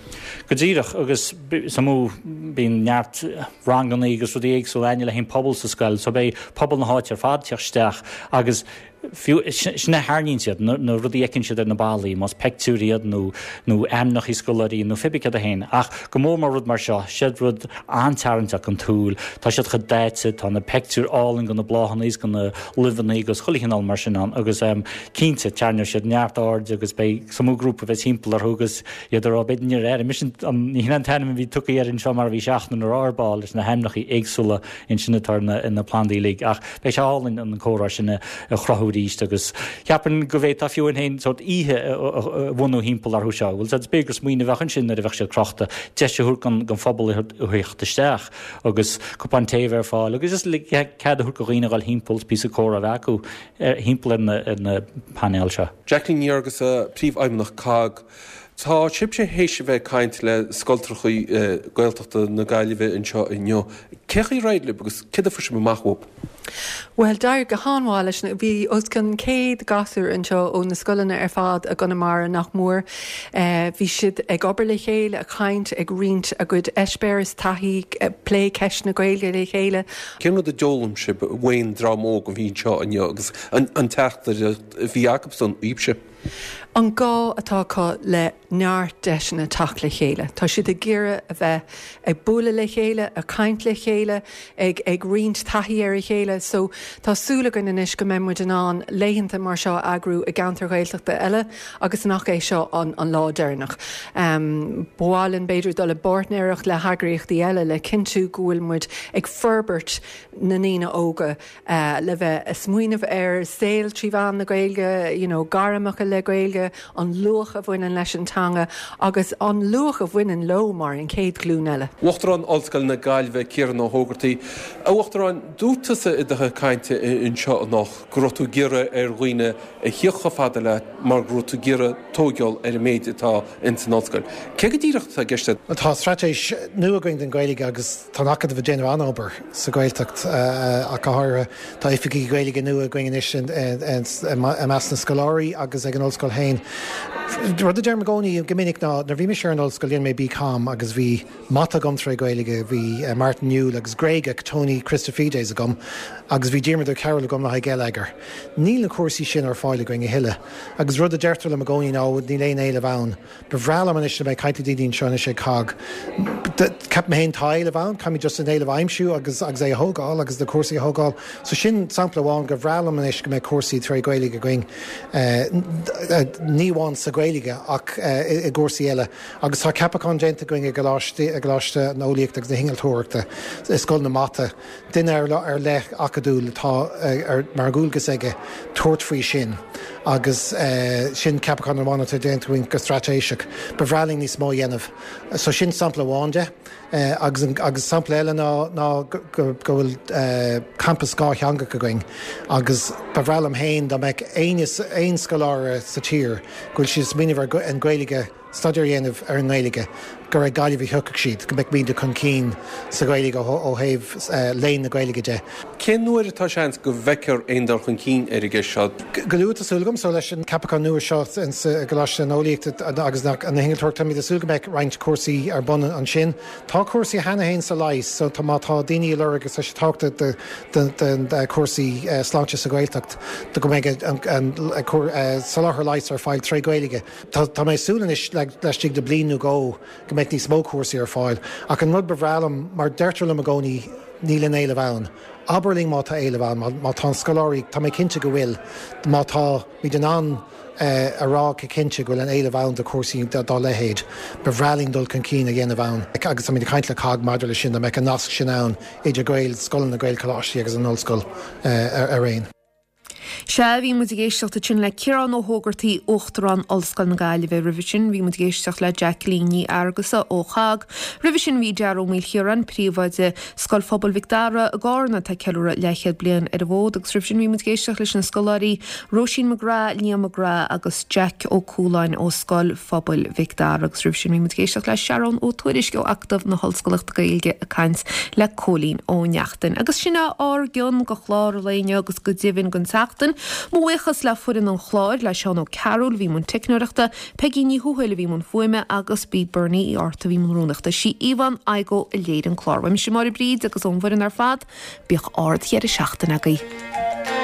Go díreach, agus is iomaí, bíonn neart rangannaí agus rudaí éagsúla againne le haghaidh an pobal sa scoil so beidh pobal na háite ar fad ag teacht isteach agus Fiú, sin a tharraingíonn siad, na rudaí a fheiceann siad ar na ballaí, más peictiúir iad nó nó ainmneacha scoláirí nó pé bith céard é féin. Ach go mór mór rud mar seo, siad rud an-tarraingteach don tsúil, tá siad chomh daite, tá na peictiúir álainn de na bláthanna is de na luibheanna agus chuile chineál mar sin ann agus cinnte, tarraingeoidh siad neart airde agus beidh is iomaí grúpa a bheas timpeall orthu agus iad ag rá, b'fhéidir níor airigh mise an, ní hin an t-ainm a bhí tugtha air anseo mar a bhí seachtain ar ár ball leis na hainmneacha éagsúla ansin atá ar na plandaí uilig. Ach beidh sé álainn an comhrá sin a chruthú arís agus cheapfainn go bhféadfá fiú amháin sórt oíche a bhunú thimpeall orthu seo. Bhuel, b'fhéidir gur smaoineamh a bheadh ansin nuair a bheadh siad crochta, deis a thabhairt don phobal a theacht isteach agus cupán tae a bheith ar fáil agus just cead a thabhairt do dhaoine a dhul thimpeall is píosa comhrá a bheith acu thimpeall ar na painéil seo. Jacqueline Ní Fhearghusa, Príomhfheidhmeannach COGG. Tá sibhse théis a bheith ag caint le scoltrachaí Gaeltachta na Gaillimhe anseo inniu. Cé chaoi ar éirigh libh agus céard a fuair sibh amach uathu? Bhuel, d'éirigh go han-mhaith leis na, bhí os cionn 100 gasúr anseo ó na scoileanna ar fad i gConamara nach mór. Bhí siad ag obair le chéile, ag caint, ag roinnt a gcuid eispéireas, taithí, ag plé ceist na Gaeilge le chéile. Cén rud a d'fhoghlaim sibh uain dream óg a bhí anseo inniu agus an teachtaireacht a bhí acusan daoibhse? An gá atá acu le neart deiseanna teacht le chéile. Tá siad ag iarraidh a bheith ag bualadh le chéile, ag caint le chéile, ag ag roinnt taithí ar a chéile. So tá súil againn anois go mbeidh muid in ann laethanta mar seo a eagrú i gceantair Ghaeltachta eile agus nach é seo an an lá deireanach. Ba mhaith linn b'fhéidir dul i bpáirtnéireacht le heagraíochtaí eile le cinntiú go bhfuil muid ag forbairt na ndaoine óga le bheith ag smaoineamh ar saol trí mheán na Gaeilge, you know, gairmeacha le Gaeilge, an luach a bhaineann leis an teanga agus an luach a bhaineann leo mar an chéad ghlúin eile. Uachtarán Ollscoil na Gaillimhe, Ciarán Ó hÓgartaigh. A Uachtaráin, dúirt tusa i do chuid cainte anseo anocht go raibh tú ag iarraidh ar dhaoine a thíocht chomh fada leat mar go raibh tú ag iarraidh tóigeáil ar an méid atá ins an ollscoil. Cé go díreach atá i gceist agat? Tá straitéis nua againn don Ghaeilge agus tá an Acadamh ag déanamh an-obair sa Ghaeltacht ach go háirithe. Tá oifigigh Gaeilge nua againn anois i measc na scoláirí agus ag an ollscoil féin. Rud a deirim i gcónaí go minic ná nuair a bhí mise ar an ollscoil dhein mé BCom agus bhí Mata agam tré Ghaeilge, bhí Martin Newell agus Gréagach Tony Christofides agam agus bhí Diarmuid Ó Cearúil agam le haghaidh Geilleagar. Níl na cúrsaí sin ar fáil againn a thuilleadh agus rud a deirtear liom i gcónaí ná níl aon éileamh ann. Ba bhreá liom anois a bheith ag caint le daoine anseo anois ag COGG. Ceapaim féin tá éileamh ann, caithfimid just an éileamh a aimsiú agus agus é a thógáil agus na cúrsaí a thógáil. So sin sampla amháin gur bhreá liom anois go mbeadh cúrsaí tré Ghaeilge againn, ní amháin sa Ghaeilge ach i gcúrsaí eile. Agus tá ceapachán déanta againn i gColáiste, i gColáiste na Eolaíochta agus na hInnealtóireachta, i Scoil na Mata, duine ar leith acadúil atá ar, mar dhualgas aige tabhairt faoi sin agus sin ceapachán amháin atá déanta againn go straitéiseach. Ba bhreá linn níos mó a dhéanamh. So sin sampla amháin de. Agus agus sampla eile ná ná go go bhfuil campas dhátheangach againn agus ba bhreá liom féin dá mbeadh éinne aon scoláire sa tír go bhfuil siad ag smaoineamh ar an Ghaeilge staidéar a dhéanamh ar an nGaeilge, gur ag Gaillimh a thiocfadh siad, go mbeadh muide chun cinn sa Ghaeilge ó thaobh léann na Gaeilge de. Cén uair atá seans go bhfeicfear aon dul chun cinn ar an gceist seo? Go luath, tá súil agam. So leis an ceapachán nua seo i gColáiste na hEolaíochta agus na hInnealtóireachta, táimid ag súil go mbeidh roinnt cúrsaí ar bun ansin. Tá cúrsaí cheana féin sa leigheas, so tá má tá daoine ag lorg agus tá sé tábhachtach do chúrsaí sláinte sa Ghaeltacht go mbeidh an soláthar leighis ar fáil tré Ghaeilge. Tá mé ag súil anois laistigh de bliain nó dhó go mbeidh níos mó cúrsaí ar fáil. Ach an rud ba bhreá liom, mar deirtear liom i gcónaí, níl aon éileamh ann. Abair linn má tá éileamh ann, má tá an scoláirí, tá mé cinnte go bhfuil, má táimid in ann a rá go cinnte go bhfuil an éileamh ann do chúrsaí dá leithéid, ba bhreá linn dul chun cinn a dhéanamh ann. Agus táimid ag caint le cogg maidir leis sin, dá mbeadh an nasc sin ann idir Gaelscoileanna, Gaelcholáistí agus an ollscoil araon. Sea, bhí muid ag éisteacht ansin le Ciarán Ó hÓgartaigh, Uachtarán Ollscoil na Gaillimhe. Roimhe sin, bhí muid ag éisteacht le Jacqueline Ní Fhearghusa ó ChOGG. Roimhe sin, bhí Dara Ó Maoilchiaráin, Príomhoide Scoil Phobail Mhic Dara i gCárna, atá ag ceiliúradh leathchéad bliain ar an bhfód. Agus roimhe sin, bhí muid ag éisteacht leis na scoláirí Róisín McGrath, Liam McGrath agus Jack Ó Cualáin ó Scoil Phobail Mhic Dara. Agus roimhe sin, bhí muid ag éisteacht le Sharon Ó Tuairisg ó Acadamh na hOllscolaíochta Gaeilge ag caint le Cóilín Ó Neachtain. Agus sin é ár gcion go chlár an lae inniu agus go deimhin don tseachtain. Mo bhuíochas le foireann an chláir, le Seán Ó Cearúil a bhí i mbun teicneoireachta, Peigí Ní Thuathail a bhí i mbun fuaime agus b'í Bernie Uí Fhátharta a bhí i mbun rúnaíochta. Sí Yvonne Igoe a léirigh an clár. Uaimse Máire Bríd agus ón bhfoireann ar fad, bíodh ard-dheireadh seachtaine agaibh.